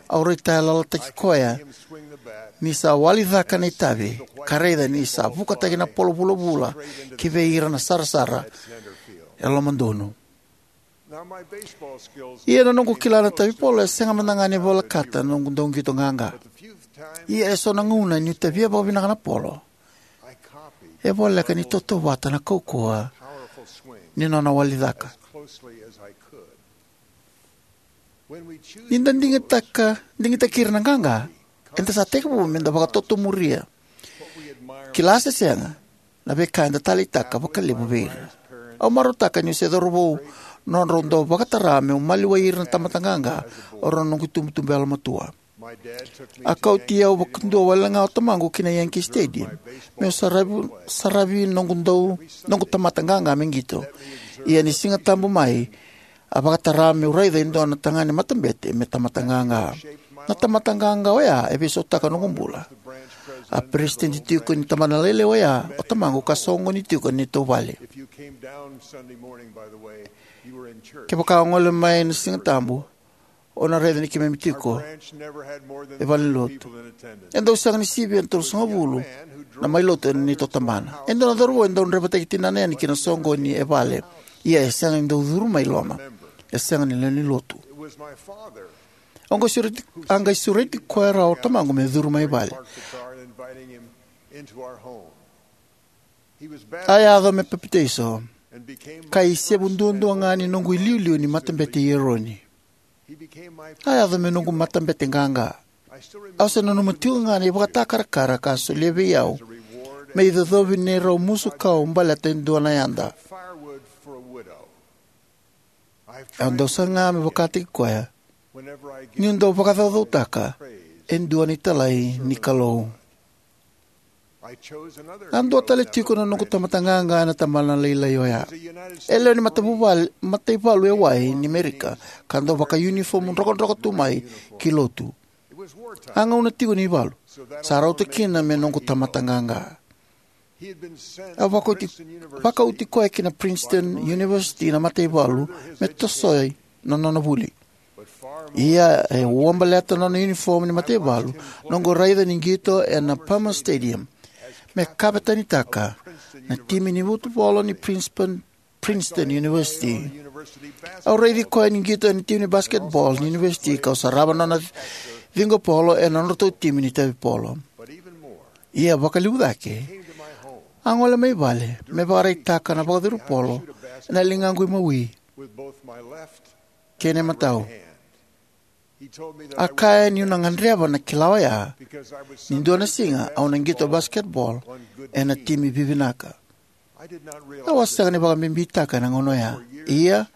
Au raitayaloyalotaki koya ni sa wali cake na itavi, ka raica ni sa vukataki na polo vulavula ki vei ira na sarasara e lomadonu. Ia na noqu kila na tavipolo e sega mada ga ni volekata na noqu dau qito qaqa. Ia e so na gauna niu tavia vakavinaka na polo, e voleka ni tautauvata na kaukauwa ni nona wali cake. Ni da digitaka, digitaki ira na qaqa, eda sa tekivu me da vakatotomuria, kila se sega, na veika eda taleitaka vakalevu vei ira. Au marautaka niu se cauravou nodrau dau vakatara meu maliwai ira na tamata qaqa o rau na noqu itubutubu yalomatua. A kauti au vakadua wale ga o tamaqu ki na Yankee Stadium meu saravi, saravi noqu dau, noqu tamata qaqa me qito. Ia ni Siga Tabu mai, a vakatara meu raica e dua na tagane matabete me tamata qaqa. Na tamata qaqa oya e veisautaka noqu bula. A peresitedi tiko ni tabana lailai oya o tamaqu ka soqoni tiko na neitou vale. Kevaka o gole mai na Siga Tabu, O na raica ni keimami tiko e valenilotu. E dau sega ni sivia na tolusagavulu na mai lotu ena neitou tabana. E dua na cauravou e dau draivataki tinana yani ki na soqoni e vale. Ia e sega ni dau curu mai loma. E sega ni lewe ni lotu. Au qai sureti, a qai sureti koya rawa o tamaqu me curu mai vale. A yaco me papitaiso, ka isevu duadua ga ni noqu iliuliu ni matabete i Eroni. A yaco me noqu matabete qaqa. Au se nanuma tiko ga na ivakatakarakara ka a solia vei au me icocovi ni rau musu kau baleta e dua na yada. Au dau saga me vakataki koya niu dau vakacaucautaka e dua na italai ni Kalou. A dua tale tiko na noqu tamata qaqa ena tabana lailai oya. E lewe ni matavuvale, mataivalu e wai ni Merika, ka dau vakaunifomu drokadroka tu mai ki lotu. A gauna tiko ni valu, sa rauta kina me noqu tamata qaqa. A vakauti, vakauti koya ki na Princeton University na mataivalu me tosoi na nona vuli. Ia e ua baleta na nona uniform ni mataivalu, noqu raica ni qito ena Palmer Stadium me kavetanitaka na timi ni vutupolo ni Princeton, Princeton University. Au raici koya ni qito ena timi ni basketball ni university, kau sarava na nona ciqopolo ena nodratou timi ni tavipolo. Ia vakalevu cake, a gole mai vale me vakaraitaka na vakacuru polo ena ligaqu imawi kei na imatau. A kaya niu na gadreva na kila oya ni dua na siga au na qito basketball ena timi vivinaka. Au a sega ni vakabibitaka ena gauna oya. Ia,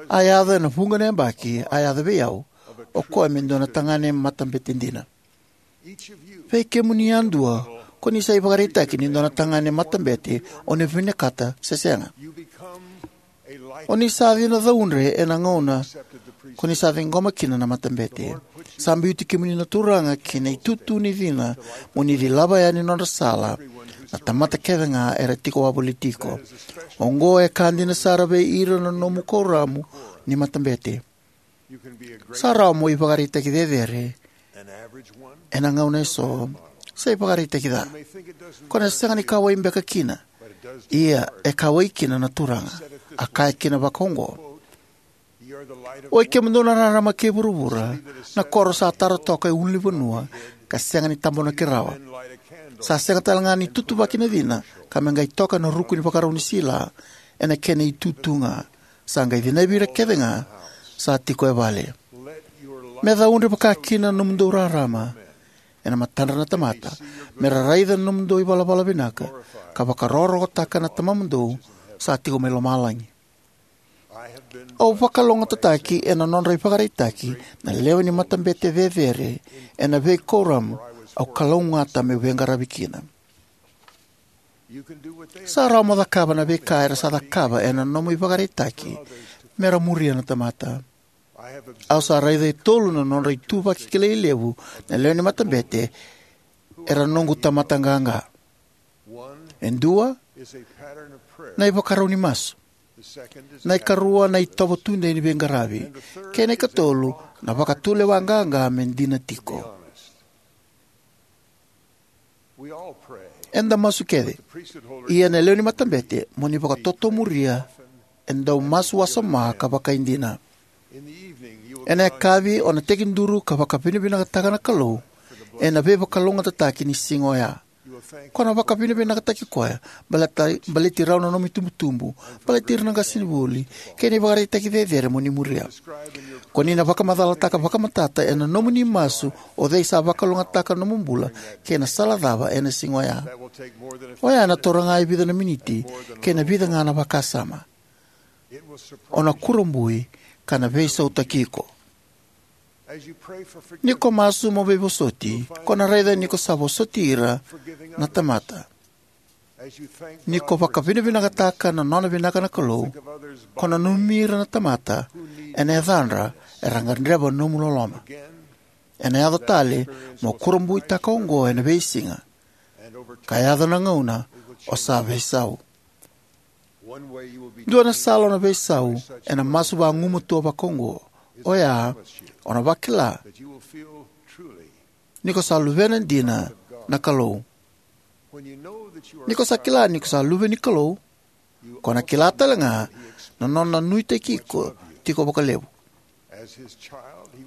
a yaco ena vuqa na yabaki a yaco vei au o koya me dua na tagane matabete dina. Vei kemuni yadua ko ni sa ivakaraitaki ni dua na tagane matabete o ni vinakata se sega. O ni sa cina caudre ena gauna ko ni sa ciqoma kina na matabete. Sa biuti kemuni na Turaga ki na itutu ni cina mo ni cilava yani nodra sala na tamata kece ga era tiko wavoliti iko. Oqo e ka dina sara vei ira na nomu kuoramu ni matabete. Sa rawa mo ivakaraitaki cecere ena gauna eso, se ivakaraitaki ca. Ko na sega ni kauwai beka kina, ia e kauwai kina na Turaga. A kaya kina vakaoqo: "Oi kemudou na rarama kei vuravura, na koro sa tara toka e ulunivanua ka sega ni tabonaki rawa. Sa sega tale ga ni tutuvaki na cina ka me qai toka na ruku ni vakarau ni sila ena kena itutu ga. Sa qai cinavi ira kece ga sa tiko e vale." Me caudre vaka kina na nomudou rarama ena matadra na tamata, me ra raica na nomudou ivalavala vinaka ka vakarokorokotaka na Tamamudou sa tiko mai lomalagi. Au vakalougatataki ena nodra ivakaraitaki na lewe ni matabete cecere ena veikuoramu au kalougata meu veiqaravi kina. Sa rawa mo cakava na veika era sa cakava ena nomu ivakaraitaki me ra muria na tamata. Au sa raica e tolu na nodra ituvaki kilai levu na lewe ni matabete era noqu tamata qaqa. E dua, na ivakarau ni masu. Na ikarua, na itovo tudei ni veiqaravi. Kei na ikatolu, na vakatulewa qaqa me dina tiko. Eda masu kece. Ia na lewe ni matabete mo ni vakatotomuria e dau masu wasoma ka vakaidina. Ena yakavi o na tekiduru ka vakavinavinakataka na Kalou ena veivakalougatataki ni siga oya. Ko na vakavinavinakataki koya baleta, baleti rau na nomu itubutubu, baleti ira na qasenivuli kei na ivakaraitaki cecere mo ni muria. Ko ni na vakamacalataka vakamatata ena nomuni masu o cei sa vakalougatataka na nomu bula kei na sala cava ena siga oya. Oya ena taura ga e vica na miniti kei na vica ga na vakasama. O na kurabui ka na veisautaki iko. Ni ko masu mo veivosoti, ko na raica ni ko sa vosoti ira na tamata. Ni ko vakavinavinakataka na nona vinaka na Kalou, ko na nanumi ira na tamata ena yacadra era gadreva nomu loloma. Ena yaco tale mo kurabuitaka oqo ena veisiga, ka yaco na gauna o sa veisau. Dua na sala o na veisau ena masu vagumatua vakaoqo, Oya, o na vakila ni ko sa luvena dina na Kalou. Ni ko sa kila ni ko sa luve ni Kalou, ko na kila tale ga na nona nuitaki iko tiko vakalevu.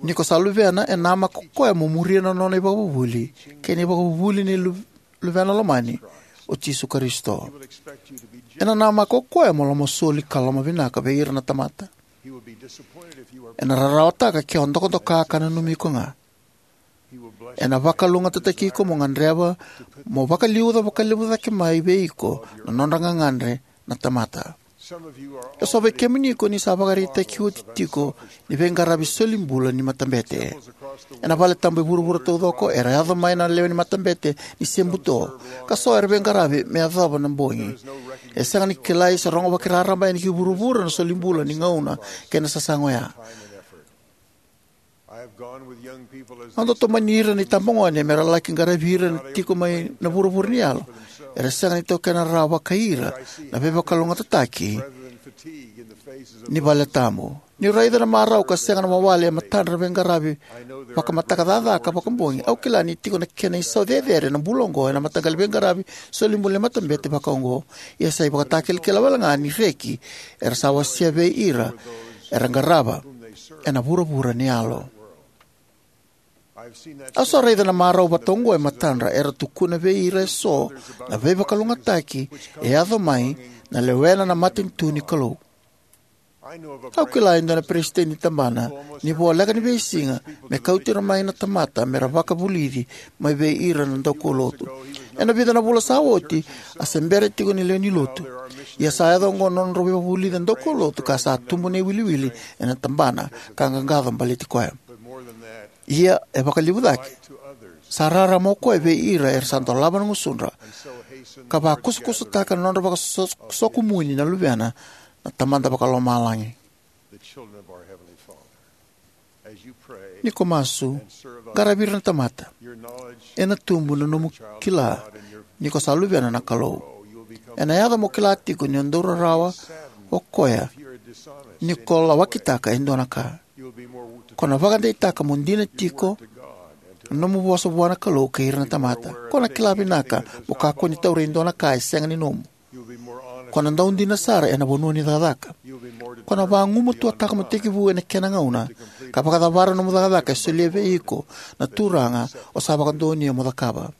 Ni ko sa luvena, e namaka o koya mo muria na nona ivakavuvuli kei na ivakavuvuli ni lu- luvena lomani, o Jisu Karisito. Ena namaka o koya mo lomasoli ka lomavinaka vei ira na tamata. Ena rarawataka ke o dokadoka ka nanumi iko ga. Ena vakalougatataki iko mo gadreva mo vakaliuca vakalevu cake mai vei iko na nodra gagadre na tamata. E so vei kemuni ko ni sa vakaraitaki oti tiko ni veiqaravi soli bula ni matabete. Ena vale tabu e vuravura taucoko era yaco mai na lewe ni matabete ni se buto, ka so era veiqaravi me yacova na bogi. E sega ni kilai se rogo vakiraraba yani ki vuravura na soli bula ni gauna kei na sasaga oya. Au dau tomani ira na itabagone me ra laki qaravi ira na tiko mai na vuravura ni yalo era sega ni taukena rawa vakai ira na veivakalougatataki ni vale tabu. Niu raica na marau ka sega na wawale e matadra na veiqaravi vakamataka caca ka vakabogi, au kila ni tiko na kena isau cecere na bula oqo ena mataqali veiqaravi soli bula ni matabete vakaoqo. Ia sa ivakatakilakila wale ga ni reki era sa wasea vei ira era qarava ena vuravura ni yalo. Au sa raica na marau vata oqo e matadra era tukuna vei ira e so na veivakalougatataki e yaco mai na lewena na matanitu ni Kalou. Au kila e dua na peresitedi ni tabana ni voleka ni veisiga me kauti ira mai na tamata me ra vakavulici mai vei ira na daukaulotu. Ena vica na vula sa oti, a se bera tiko ni lewe ni lotu. Ia sa yaco oqo na nodrau veivakavulici na daukaulotu ka sa tubu na iwiliwili ena tabana ka qaqaco baleti koya. Ia e vakalevu cake, sa rarama o koya vei ira era sa dolava na gusudra ka vakusakusataka na nodra vakasokumuni na luvena na Tamada Vakalomalagi. Ni ko masu, qaravi ira na tamata. Ena tubu na nomu kila ni ko sa luvena na Kalou. Ena yaco mo kila tiko ni o dau rarawa o koya ni ko lawakitaka e dua na ka. Ko na vakadeitaka mo dina tiko na nomu vosa vua na Kalou kei ira na tamata. Ko na kila vinaka mo kakua ni taura e dua na ka e sega ni nomu. Ko na dau dina sara ena vanua ni cakacaka. Ko na vagumatuataka mo tekivu ena kena gauna ka vakacavara nomu cakacaka e solia vei iko na Turaga o sa vakadonuya mo cakava.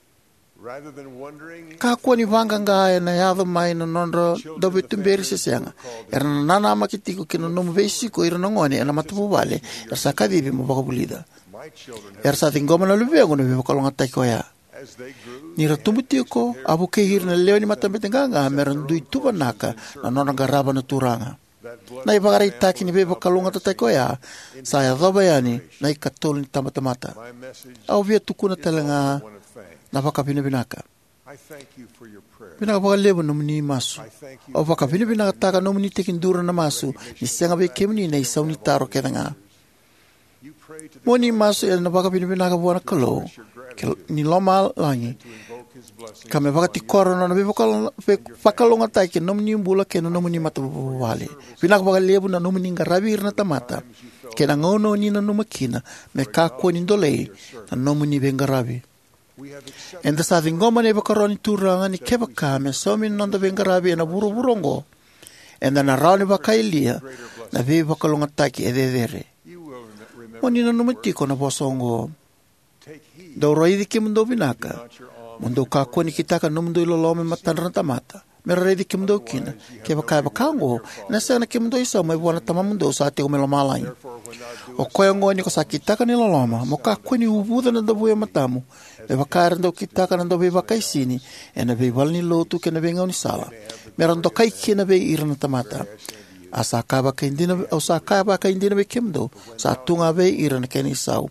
Kakua ni vaqaqa ena yaco mai na nodra dauveituberi se sega. Era na nanamaki tiko ki na nomu veisiko ira na gone ena matavuvale era sa kacivi mo vakavulica. Era sa ciqoma na luvequ na veivakalougatataki oya. Ni ra tubu tiko, a vukei ira na lewe ni matabete qaqa me ra dui tuvanaka na nodra qarava na Turaga. Na ivakaraitaki ni veivakalougatataki oya sa yacova yani na ikatolu ni tabatamata. Au via tukuna tale ga na vakavinavinaka. Vinaka vakalevu nomuni masu. Au vakavinavinakataka nomuni tekiduru na masu ni sega vei kemuni na isau ni taro kece ga. Mo ni masu ena vakavinavinaka vua na Kalou ke ni lomalagi ka me vakatikora na nona veivakalo- veivakalougatataki ena nomuni bula kei na nomuni matavuvale. Vinaka vakalevu na nomuni qaravi ira na tamata kei na gauna o ni nanuma kina me kakua ni dolei na nomuni veiqaravi. Eda sa ciqoma na ivakaro ni Turaga ni kevaka me saumi na noda veiqaravi ena vuravura oqo, eda na rawa ni vakayalia na veivakalougatataki e cecere. Mo ni nanuma tiko na vosa oqo: Dou raici kemudou vinaka, mo dou kakua ni kitaka na nomudou iloloma me matadra na tamata, me ra raici kemudou kina. Kevaka e vaka oqo, ena sega na kemudou isau mai vua na Tamamudou sa tiko mai lomalagi. O koya oqo, ni ko sa kitaka na iloloma, mo kakua ni uvuca na davu e matamu, me vaka era dau kitaka na dauveivakaisini ena veivalenilotu kei na veigaunisala, me ra dokai kina vei ira na tamata. A sa kaya vakaidina, au sa kaya vakaidina vei kemudou, sa tu ga vei ira na kena isau.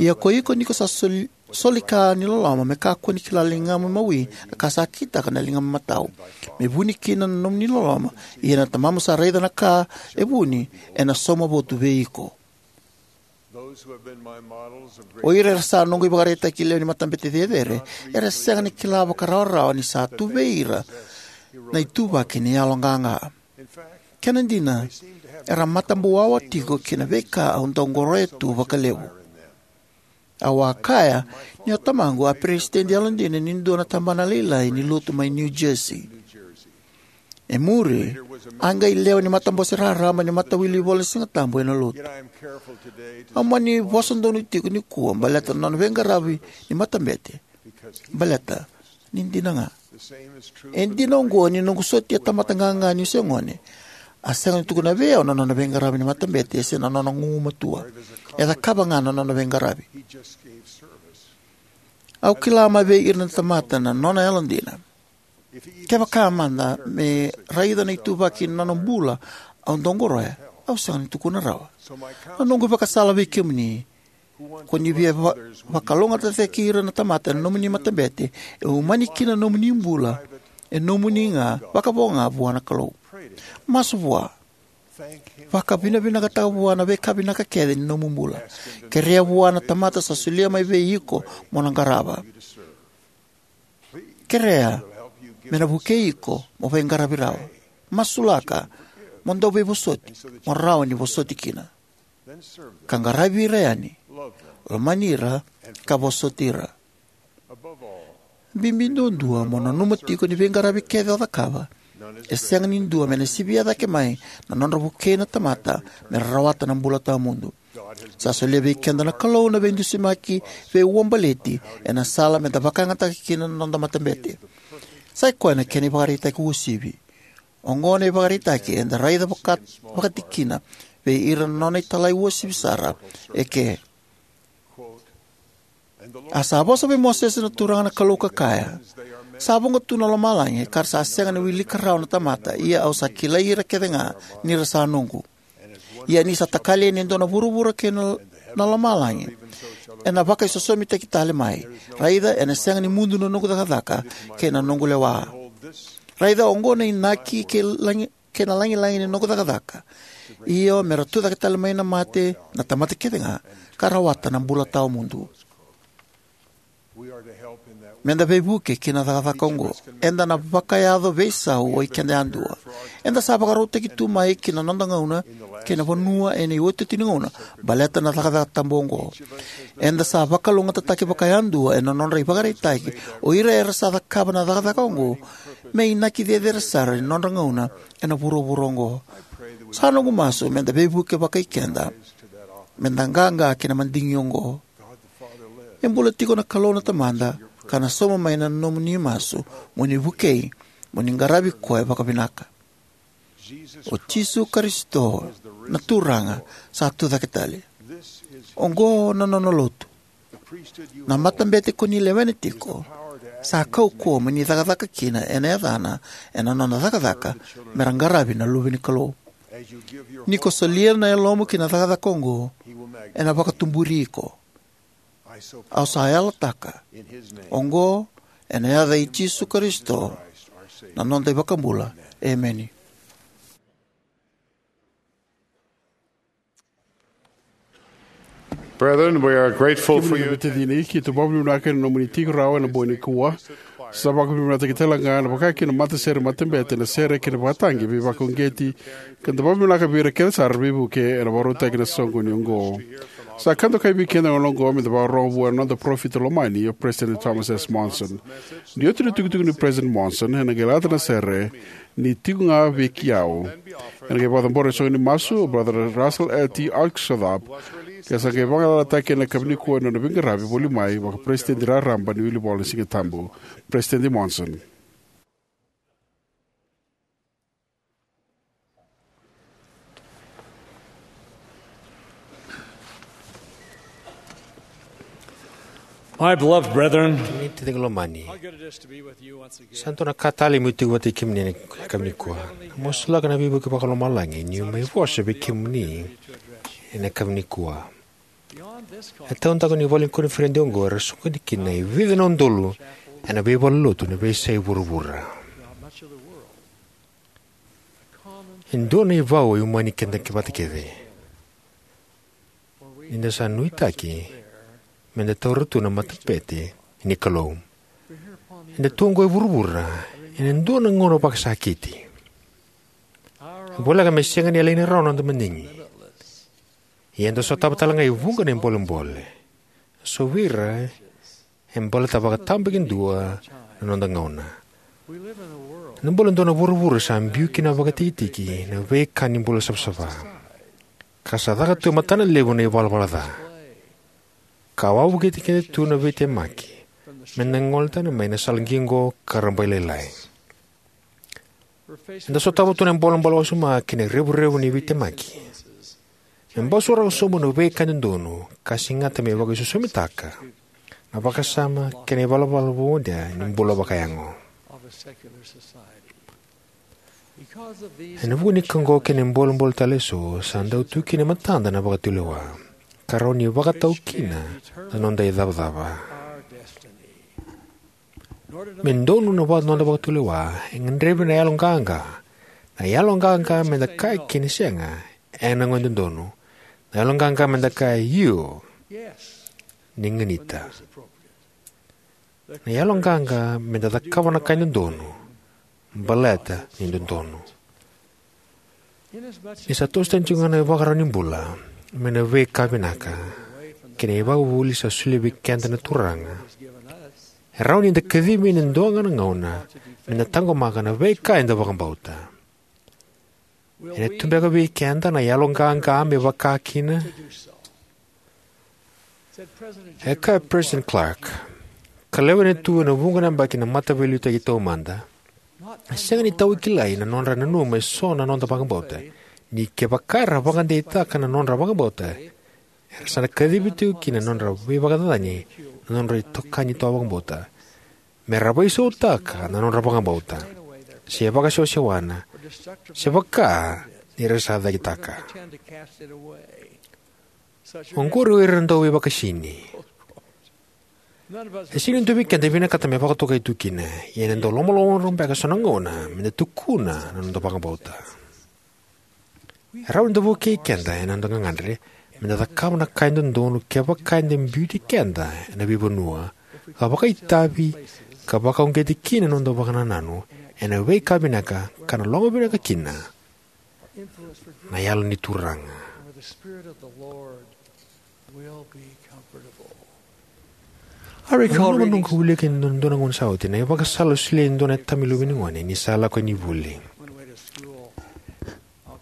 Ia ko iko, ni ko sa soli, soli ka ni loloma, me kakua ni kila ligamu imawi na ka sa kitaka na ligamu imatau, me vuni kina na nomuni loloma. Ia na Tamamu sa raica na ka e vuni ena sauma votu vei iko. O ira era sa noqu ivakaraitaki lewe ni matabete cecere era sega ni kila vakarawarawa ni sa tu vei ira na ituvaki ni yaloqaqa. Kena dina, Era matabuwawa tiko ki na veika au dau qoroya tu vakalevu. Au a kaya ni o tamaqu a peresitedi yalodina ni dua na tabana lailai ni lotu mai New Jersey. E muri, a qai lewe ni matabose raraba ni Matawilivola ni Sigatabu ena lotu. Au mani vosa donu tiko nikua baleta na nona veiqaravi ni matabete, baleta ni dina ga. E dina oqo ni noqu sotia tamata qaqa niu se gone, a sega ni tukuna vei au na nona veiqaravi ni matabete se na nona gugumatua. E cakava ga na nona veiqaravi. Au kila mai vei ira na tamata na nona yalodina. Kevaka mada me raica na ituvaki ni nona bula au dau qoroya, au sega ni tukuna rawa. Na noqu vakasala vei kemuni, ko ni via va- vakalougatataki ira na tamata ena nomuni matabete, e umani kina na nomuni bula e nomuni ga, vakavo ga vua na Kalou. Masu vua. Vakavinavinakataka vua na veika vinaka kece ni nomu bula. Kerea vua na tamata sa solia mai vei iko mo na qarava. Kerea me na vukei iko mo veiqaravi rawa. Masulaka mo dau veivosoti mo rawa ni vosoti kina. Ka qaravi ira yani, lomani ira, ka vosoti ira. Bibi duadua mo nanuma tiko ni veiqaravi kece o cakava, e sega ni dua me na sivia cake mai na nodra vukei na tamata me ra rawata na bula tawamudu. Sa solia vei keda na Kalou na veidusimaki veiuabaleti ena sala me da vakayagataka kina na noda matabete. Sa i koya na kena ivakaraitaki uasivi. Oqo na ivakaraitaki eda raica vaka- vakatikina vei ira na nona italai uasivi sara eke. A sa vosa vei Mosese na Turaga na Kalou ka kaya, sa vuqa tu na lomalagi ka ra sa sega ni wilika rawa na tamata, ia au sa kilai ira kece ga ni ra sa noqu. Ia ni sa takali yani e dua na vuravura kei na, na lomalagi, ena vakaisosomitaki tale mai. Raica, ena sega ni mudu na noqu cakacaka kei na noqu lewa. Raica, oqo na inaki kei lagi- kei na lagilagi ni noqu cakacaka. Io, me ra tucake tale mai na mate na tamata kece ga, ka rawata na bula tawamudu. Me da veivuke ki na cakacaka oqo. Eda na vakayaco veisau o i keda yadua. Eda sa vakarautaki tu mai ki na noda gauna kei na vanua ena iotioti ni gauna baleta na cakacaka tabu oqo. Eda sa vakalougatataki vakayadua ena nodra ivakaraitaki o ira era sa cakava na cakacaka oqo me inaki cecere sara ni nodra gauna ena vuravura oqo. Sa noqu masu me da veivuke vakai keda me da qaqa ki na madigi oqo. E bula tiko na Kalou na Tamada, ka na sauma mai na nomuni masu mo ni vukei, mo ni qaravi koya vakavinaka. O Jisu Karisito na Turaga sa tucake tale. Oqo na nona lotu. Na matabete ko ni lewena tiko sa kaukauwa mo ni cakacaka kina ena yacana, ena nona cakacaka me ra qaravi na luve ni Kalou. Ni ko solia na yalomu ki na cakacaka oqo, ena vakatuburi iko. Au sa yalataka oqo ena yaca i Jisu Karisito, na noda iVakabula. Emeni. Brethren, we are grateful for Kemuni na you. Veitacini, keitou vakavinavinaka ena nomuni tiko rawa ena bogi nikua. Sa vakavinavinakataki tale ga na vakakina matasere matabete, na sere kei na vakatagi veivakauqeti, ka da vakavinavinaka vei ira kece sara veivuke ena vakarautaki na soqoni oqo. Sa ka dokai vei keda ena gauna oqo me da vakarorogo vua na noda parofita lomani o President Thomas S. Monson. Ni oti na itukutuku nei President Monson, ena qai lata na sere Ni Tiko Ga Vei Keitou. Ena qai vakacabora na soqo ni masu o Brother Russell L T Oxenhorn, ka sa qai vagalalataki ena yakavi nikua ena nona veiqaravi voli mai vakaperesitedi raraba ni Wilivola ni Sigatabu. Peresitedi Monson. My beloved brethren, kemuni na taciqu lomani, how good it is to be with you once again. Sa dua na ka talei meu tiko vata kei kemuni ena yakavi nikua. Masulaka na veivuke vakalomalagi niu mai vosa vei kemuni ena yakavi nikua. E taudaku ni vale ni koniferedi oqo era soqoni kina e vica na udolu ena veivalenilotu ena veiyasai vuravura. E dua na ivau e umani keda vata kece. Ni da sa nuitaki me da taura tu na matabete ni Kalou. Eda tu oqo e vuravura ena dua na gauna vakasakiti. Voleka me sega ni yalani rawa na noda madigi, ia eda sotava tale ga e vuqa na bolebole. So vei ira e baleta vakatabakidua na noda gauna. Eda bula ena dua na vuravura sa biu kina vakatikitiki na veika ni bula savasava, ka sa caka tu e matana levu na ivalavala ca, ka wavokiti keda tu na veitemaki me da gole tani mai na sala qiqo ka rabailailai. Eda sotava tu na bolebole wasoma kei na revurevu ni veitemaki me basuraka sobu na veika e dodonu ka segata me vakaisosomitaka na vakasama kei na ivalavala vou ni bula vakayago. Ena vuku ni ka oqo kei na bolebole tale eso, sa dau tu kina e matada na vakatulewa, ka rawa ni vakatau kina na noda icavacava. Me donu na noda vakatulewa, e gadrevi na yaloqaqa, na yaloqaqa me da kaya kina sega ena gauna e dodonu, na yaloqaqa me da kaya io ni ganita, na yaloqaqa me da cakava na ka e dodonu baleta ni dodonu. Ni sa toso tani tiko ga na ivakarau ni bula mai na veika vinaka kei na ivakavuvuli sa solia vei keda na Turaga, e rawa ni da kacivi ena dua ga na gauna me da taqomaka na veika eda vakabauta. Ena tu beka vei keda na yaloqaqa me vakakina? E kaya o Peresitedi Clark, ka lewena tu ena vuqa na yabaki na Mataveiliutaki Taumada, e sega ni tawa kilai na nodra nanuma eso na noda vakabauta, ni kevaka era vakadeitaka na nodra vakabauta, era sa na kacivi tiko kina na nodra veivakacacani na nodra itokani tawa vakabauta me ra veisautaka na nodra vakabauta, se vakasewasewana, se vaka ni ra sa cakitaka. Oqori o ira na dauveivakaisini. E sega ni dua vei keda e vinakata me vakatokai tu kina, ia ena dau lomalomarua beka eso na gauna me da tukuna na noda vakabauta. E rawa ni da vukei keda ena noda gagadre me da cakava na ka e dodonu kevaka eda biuti keda ena veivanua, ka vakaitavi, ka vakauqeti kina na noda vakanananu ena veika vinaka ka na lomavinaka kina na Yalo ni Turaga. Au nanuma noqu wilika ena dua na gauna sa oti na ivakasala a solia e dua na tama i luve ni gone ni sa lako yani ki vuli.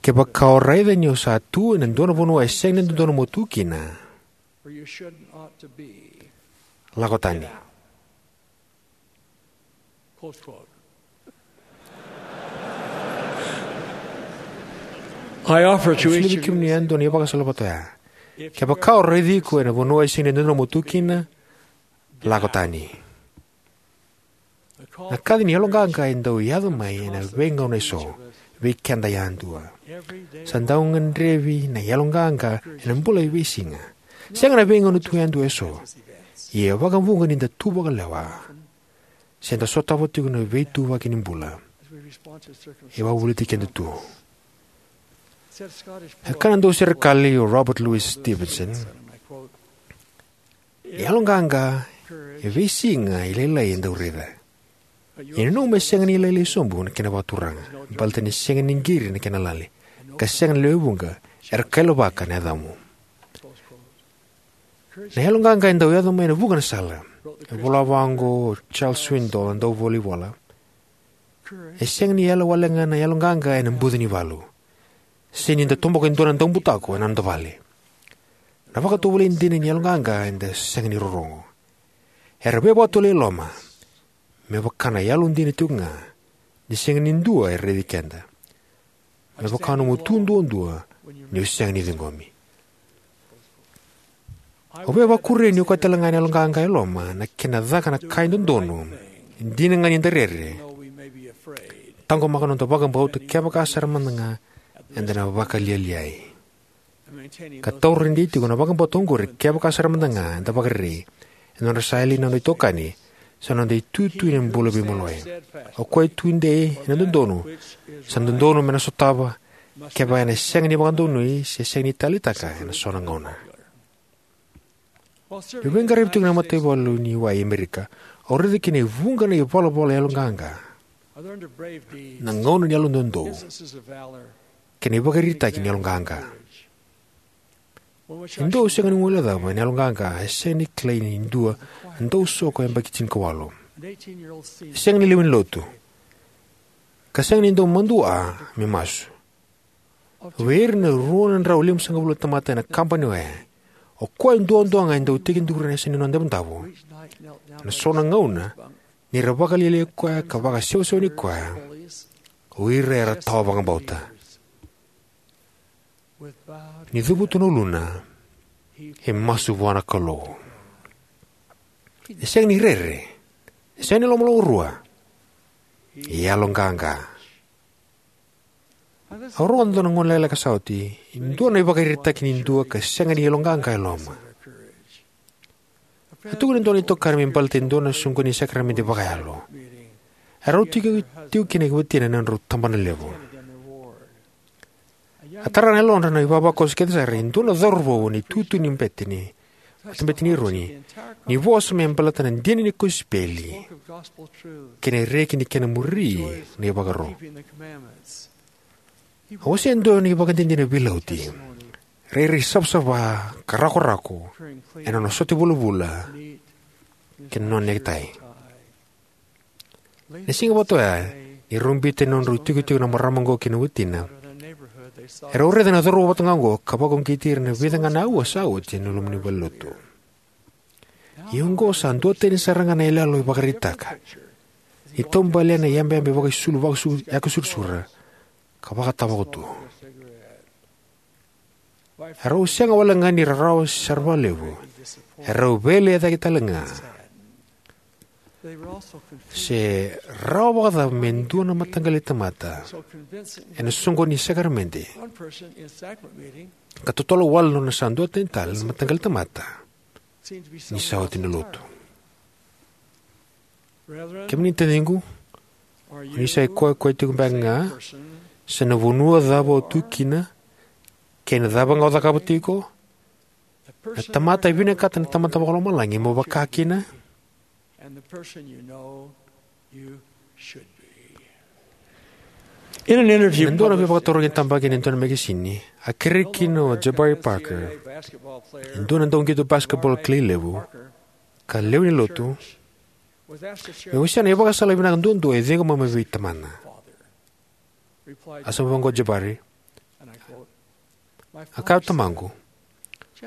Kevaka o raica ni o sa tu ena dua na vanua e sega ni dodonu mo tu kina, lako tani. I offer to each of you, kemuni yadua na ivakasala vata oya. Kevaka o raici iko ena vanua e sega ni dodonu mo tu kina, lako tani. Na kaci ni yaloqaqa e dau yaco mai ena veigauna eso vei keda yadua. Sa dau gadrevi na yaloqaqa ena bula e veisiga. Sega na veigauna tu yadua eso. Ia e vakavuqa ni da tu vakalewa se da sotava tiko na veituvaki ni bula e wavoliti keda tu. E kaya na dau serekali o Robert Louis Stevenson, e yaloqaqa e veisiga e lailai e dau raica. Ia nanuma e sega ni lailai sobu na kena vakaturaga, baleta ni sega ni qiri na kena lali, ka sega na lewe vuqa era kailavaka na yacamu. Na yaloqaqa e dau yaco mai ena vuqa na sala. E vola vaqo o Charles Swindoll, na dauvolaivola: E sega ni yala wale ga na yaloqaqa ena buca ni valu, se ni da toboka e dua na daubutako ena noda vale. Na vakatovolei dina ni yaloqaqa e dau sega ni rorogo. Era veivakatovolei e loma, me vaka na yalo dina tiko ga ni sega ni dua e raici keda, me vaka nomu tu duadua ni o sega ni ciqomi. Au via vakuria ni okati tale ga na yaloqaqa e loma na kena caka na ka e dodonu, dina ga ni da rere, taqomaka noda vakabauta kevaka sara mada ga eda na vakalialiai, ka taura dei tiko na vakabauta oqori kevaka sara mada ga eda vakarerei ena nodra sa yali na noda itokani se na noda itutu ena bula veimaliwai. O koya e tudei ena dodonu sa dodonu me na sotava, kevaka ena sega ni vakadonui se sega ni taleitaka ena so na gauna. Niu veiqaravi tiko ena mataivalu ni wai e Amerika, au raica kina e vuqa na ivalavala yaloqaqa, na gauna ni yalododonu, kei na ivakaraitaki ni yaloqaqa. E dua e sega ni guilecava ena yaloqaqa e sega ni kilai ni dua e dau soko yabaki tinikawalu. E sega ni lewe ni lotu, ka sega ni dau madua me masu. Vei ira na rua na drau limasagavulu na tamata ena kabani oya, o koya duadua ga e dau tekiduru ena yasa ni nona davodavo. Ena so na gauna, ni ra vakalialiai koya ka vakasewasewani koya, o ira era tawa vakabauta. Ni cavuta na uluna, e masu vua na Kalou. E sega ni rere, e sega ni lomaloma rua, e yaloqaqa. Au rogoca ena dua na gauna lailai ka sa oti e dua na ivakaraitaki ni dua ka sega ni yaloqaqa e loma. A tukuna e dua na itokani me baleta e dua na soqoni ni sakaramede vakayalo. Erau tiko, tiko kina e watina ena nodrau tabana levu. A tara na yalodra na ivavakoso kece sara e dua na cauravou ena itutu ni bete ni, matabete ni Eroni, ni vosa me baleta na dina ni kosipeli kei na reki ni kena muri na ivakaro. A wasea e dua na ivakadinadina veilauti, rairai savasava ka rakorako ena nona sote vulavula kei na nona nekitai. Na siga vata oya, ni rau biuta na nodrau itikotiko na marama oqo kei na watina, erau raica na cauravou vata ga oqo ka vakauqeti ira ena vica ga na aua sa oti ena loma ni valenilotu. Ia oqo sa duatani sara ga na iyaloyalo e vakaraitaka ni taubale ena iyabeyabe vakaisulu, vakasu-, yakasurasura ka vakatavako tu. Erau sega wale ga ni rarawa sara vakalevu, erau veilecayaki tale ga. Se rawa vakacava me dua na mataqali tamata ena soqoni ni sakaramede ka totolo wale na nona sa duatani tale na mataqali tamata ni sa oti na lotu? Kemuni taciqu, o ni sa ikoyakoya tiko beka ga se na vanua cava o tu kina kei na cava ga o cakava tiko? Na tamata e vinakata na Tamada Vakalomalagi mo vaka kina? Ena dua na veivakatarogi e tabaki ena dua na mekesini, a kerei kina o Jabari Parker, e dua na dauqito basketball kilai levu ka lewe ni lotu, me wasea na ivakasala vinaka duadua e ciqoma mai vei tamana. A sa vosa oqo o Jabari: A kaya o tamaqu,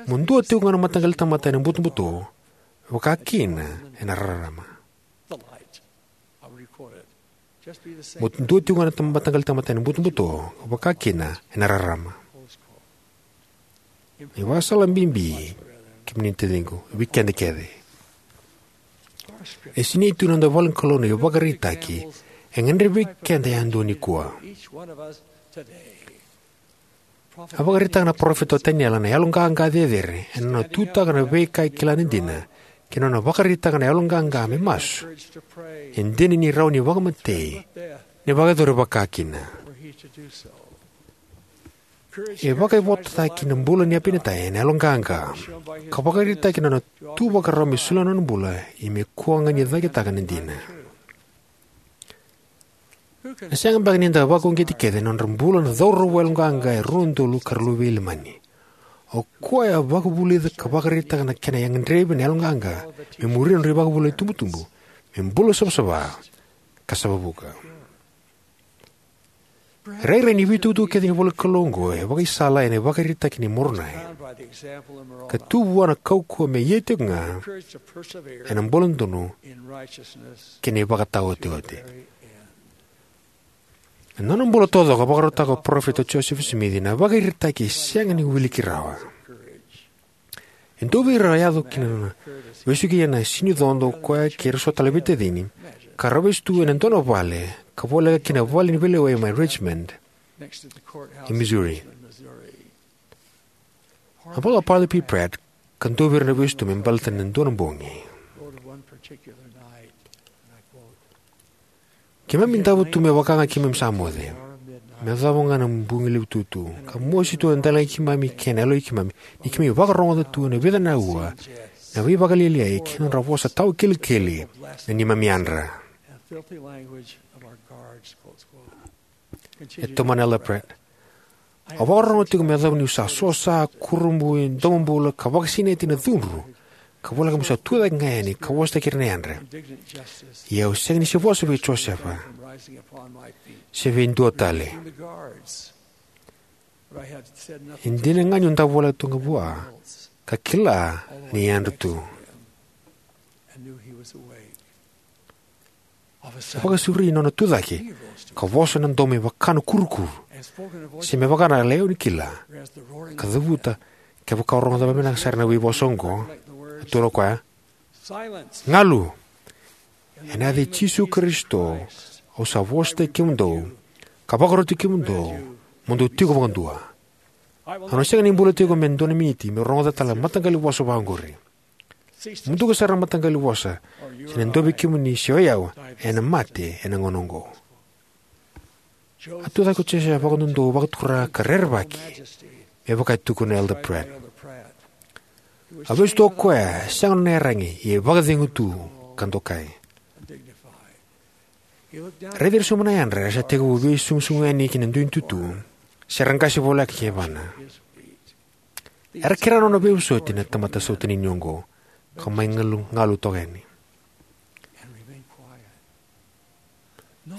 mo dua tiko ga na mataqali tamata ena butobuto, vaka kina ena rarama. Mo dua tiko ga na tam-, mataqali tamata ena butobuto, vaka kina ena rarama. Na ivakasala bibi, kemuni na taciqu, vei keda kece. E sinai tu ena noda ivolanikalou na ivakaraitaki e gadrevi vei keda yadua nikua. A vakaraitaka na parofita o Taniela na yaloqaqa cecere ena nona tutaka na veika e kila ni dina, kei na nona vakaraitaka na yaloqaqa me masu e dina ni rawa ni vakamatei, ni vakayacori vaka kina. E vakaivototaki na bula nei Apinatai ena yaloqaqa, ka vakaraitaki na nona tu vakarau me solia na nona bula, ia me kua ga ni cakitaka na dina. Na sega beka ni da vakauqeti kece na nodra bula na cauravou yaloqaqa e rua na udolu ka ra luve i Ilamani? O koya a vakavulica ka vakaraitaka na kena gadrevi na yaloqaqa me muria na nodra ivakavuvuli itubutubu, me bula savasava ka savavuka. Rairai ni veitukutuku kece ni ivolanikalou oqo e vakaisala ena ivakaraitaki nei Moronai, ka tu vua na kaukauwa me ia tiko ga ena bula dodonu kei na ivakataotioti. Na nona bula taucoko e vakarautaka o Parofita Josefa Simici na ivakaraitaki e sega ni wiliki rawa. E dua vei ira a yaco ki na vesu ki na Sini Codo, o koya kei ira so tale na veitacini, ka ra vesu tu ena dua na vale ka voleka ki na vale ni veilewai mai Richmond e Missouri. A vola o Parley P Pratt, ka dua vei ira na vesu tu, me baleta na dua na bogi: Keimami davo tu me vaka ga keimami sa moce, me yacova ga na bogi levu tutu, ka mosi tu na delai keimami kei na yaloi keimami ni keimami vakarogoca tu ena vica na aua na veivakalialiai kei na nodra vosa tawa kilikili na neimami yadra. E tomana o Elder Pratt: Au vakarorogo tiko me yacova niu sa sosa, kurabui, domobula, ka vakasinaiti ena cudru, ka voleka meu sa tu cake ga yani ka vosataki ira na yadra. Ia au sega ni se vosa vei Josefa, se vei dua tale. E dina ga niu davo voleka tu ga vua, ka kila ni yadra tu. E vakasauri nona tu cake, ka vosa ena domo me vaka na kurukuru, se me vaka na lewe ni kila, ka cavuta, kevaka o rogoca vakavinaka sara na veivosa oqo, a tukuna o koya, "Galu! Ena yaca i Jisu Karisito, au sa vosataki kemudou, ka vakaroti kemudou, mo dou tiko vakadua. Au na sega ni bula tiko me dua na miniti, meu rogoca tale na mataqali vosa vaka oqori. Muduka sara na mataqali vosa, se na dua vei kemuni se o yau, ena mate ena gauna oqo." A tu cake o Josefa vakadodou, vakatura, ka rerevaki, me vaka e tukuna o Elder Pratt. A vesu tu o koya, sega nona iyaragi, ia e vakacegu tu ka dokai. Raici ira sobu na yadra era sa tekivu veisugusugu yani ki na dui tutu, se ra qase voleka ki yavana. Era kerea nona veivosoti na tamata sautanini oqo, ka mai galu, galu toka yani.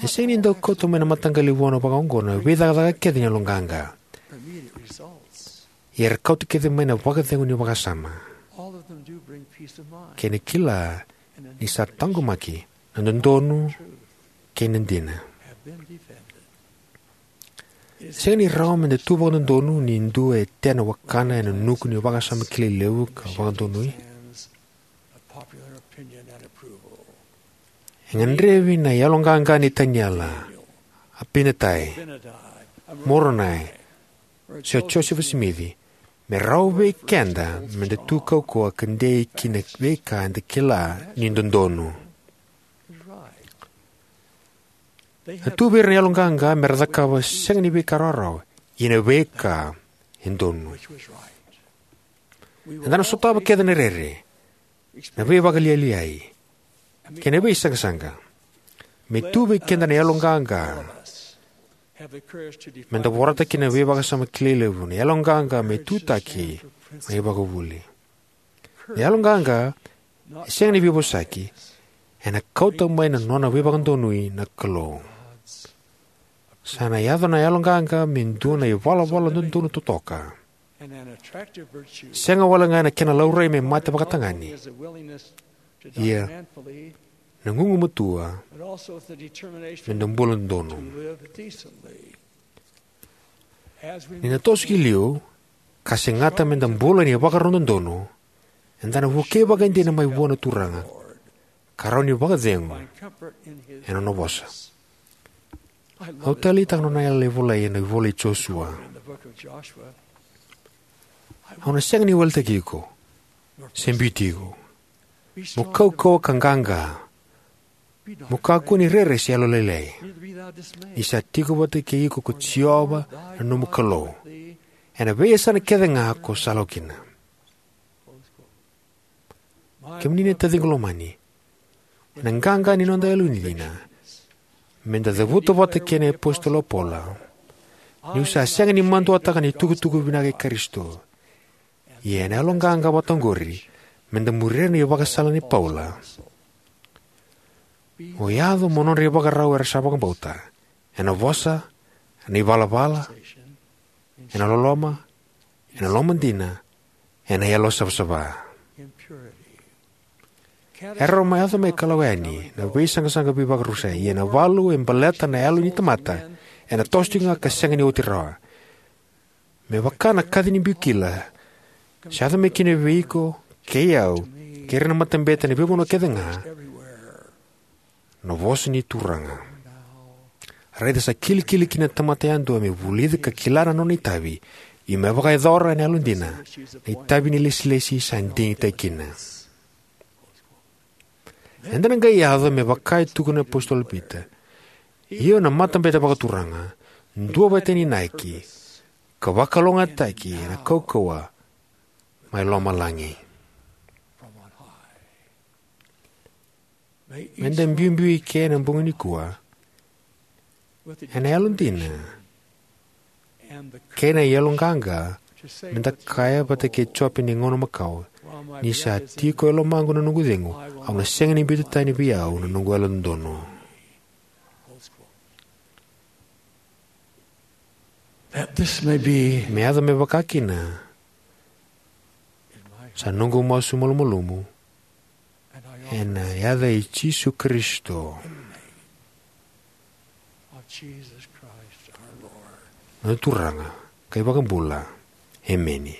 E sega ni dau kauta mai na mataqali vua vaka oqo na veicakacaka kece ni yaloqaqa. Ia era kauta kece mai na vakacegu ni vakasama kei na kila ni sa taqomaki na dodonu kei na dina. E sega ni rawa meda tu vakadodonu ni dua e tea na wakana ena nuku ni vakasama kilai levu ka vakadonui. E gadrevi na yaloqaqa nei Taniela, Apinatai, Moronai, se o Josefa Simici, me rawa vei keda meda tu kaukauwa ka dei ki na veika eda kila ni dodonu. A tu vei ira na yaloqaqa mera cakava sega ni veika rawarawa, ia na veika e donu. Eda na sotava kece na rere, na veivakalialiai, kei na veisaqasaqa. Me tu vei keda na yaloqaqa meda vorata kina na veivakasama kilai levu, na yaloqaqa me tutaki na ivakavuvuli. Na yaloqaqa e sega ni veivosaki, ena kauta mai na nona veivakadonui na Kalou. Sa na yaco na yaloqaqa me dua na ivalavala dodonu totoka, sega wale ga na kena laurai me mate vakatagane, ia na gugumatua meda bula dodonu. Ni na toso ki liu, ka segata meda bula ena ivakarau dodonu, eda na vukei vakaidina mai vua na Turaga, ka rawa ni vakacegu ena nona vosa. Au taleitaka na nona yalayala e volai ena ivola i Josua. Au na sega ni weletaki iko, se biuti iko. Mo kaukauwa ka qaqa. Mo kakua ni rere se yalolailai. Ni sa tiko vata kei iko ko Jiova na nomu Kalou, ena veiyasana kece ga ko sa lako kina. Kemuni na taciqu lomani, ena qaqa ni noda yalodina meda cavuta vata kei na iApositolo o Paula, niu sa sega ni maduataka na itukutuku vinaka i Karisito. Ia ena yaloqaqa vata oqori meda muria na ivakasala nei Paula. Mo yaco mo nodra ivakarau era sa vakabauta, ena vosa, ena ivalavala, ena loloma, ena lomadina, ena yalo savasava. Era mai yaco mai ka lako yani na veisaqasaqa veivakarusai, ia na ivalu e baleta na yalo ni tamata ena toso tiko ga ka sega ni oti rawa. Me vaka na kaci ni biu kila, sa yaco mai kina vei iko kei au kei ira na matabete ena veivanua kece ga, na vosa ni Turaga. Raica sa kilikili kina na tamata yadua me vulica ka kila na nona itavi, ia me vakayacora ena yalodina na itavi ni ilesilesi sa digitaki kina. Eda na qai yaco me vaka e tukuna na iApositolo Pita, io na matabete vakaturaga, duavata ena inaki, ka vakalougatataki ena kaukauwa mai lomalagi. Meda biubiu eke ena bogi nikua ena yalodina kei na yaloqaqa me da kaya vata kei Jope ni gauna makawa, ni sa tiko e lomaqu na noqu cegu, au na sega ni biuta tani vei au na noqu yalododonu. That this may be Me yaco me vaka kina sa noqu masu malumalumu, ena yaca i Jisu Karisito, of Jesus Christ our Lord. Na Turaga kei Vakabula. Emeni.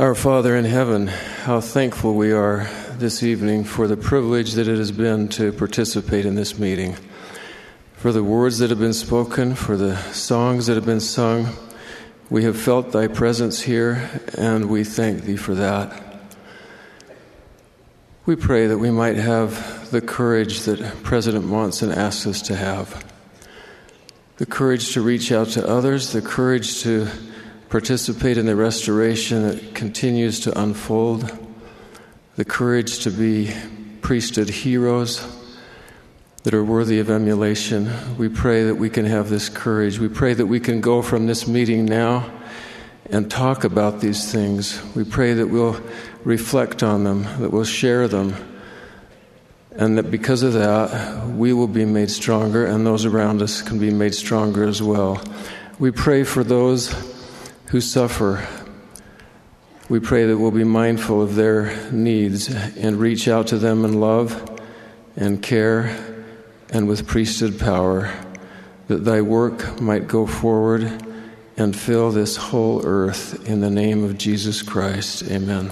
Our Father in heaven, how thankful we are this evening for the privilege that it has been to participate in this meeting, for the words that have been spoken, for the songs that have been sung. We have felt thy presence here, and we thank thee for that. We pray that we might have the courage that President Monson asked us to have, the courage to reach out to others, the courage to participate in the restoration that continues to unfold, the courage to be priesthood heroes that are worthy of emulation. We pray that we can have this courage. We pray that we can go from this meeting now and talk about these things. We pray that we'll reflect on them, that we'll share them, and that because of that, we will be made stronger, and those around us can be made stronger as well. We pray for those who suffer. We pray that we'll be mindful of their needs and reach out to them in love and care and with priesthood power, that thy work might go forward and fill this whole earth. In the name of Jesus Christ, amen.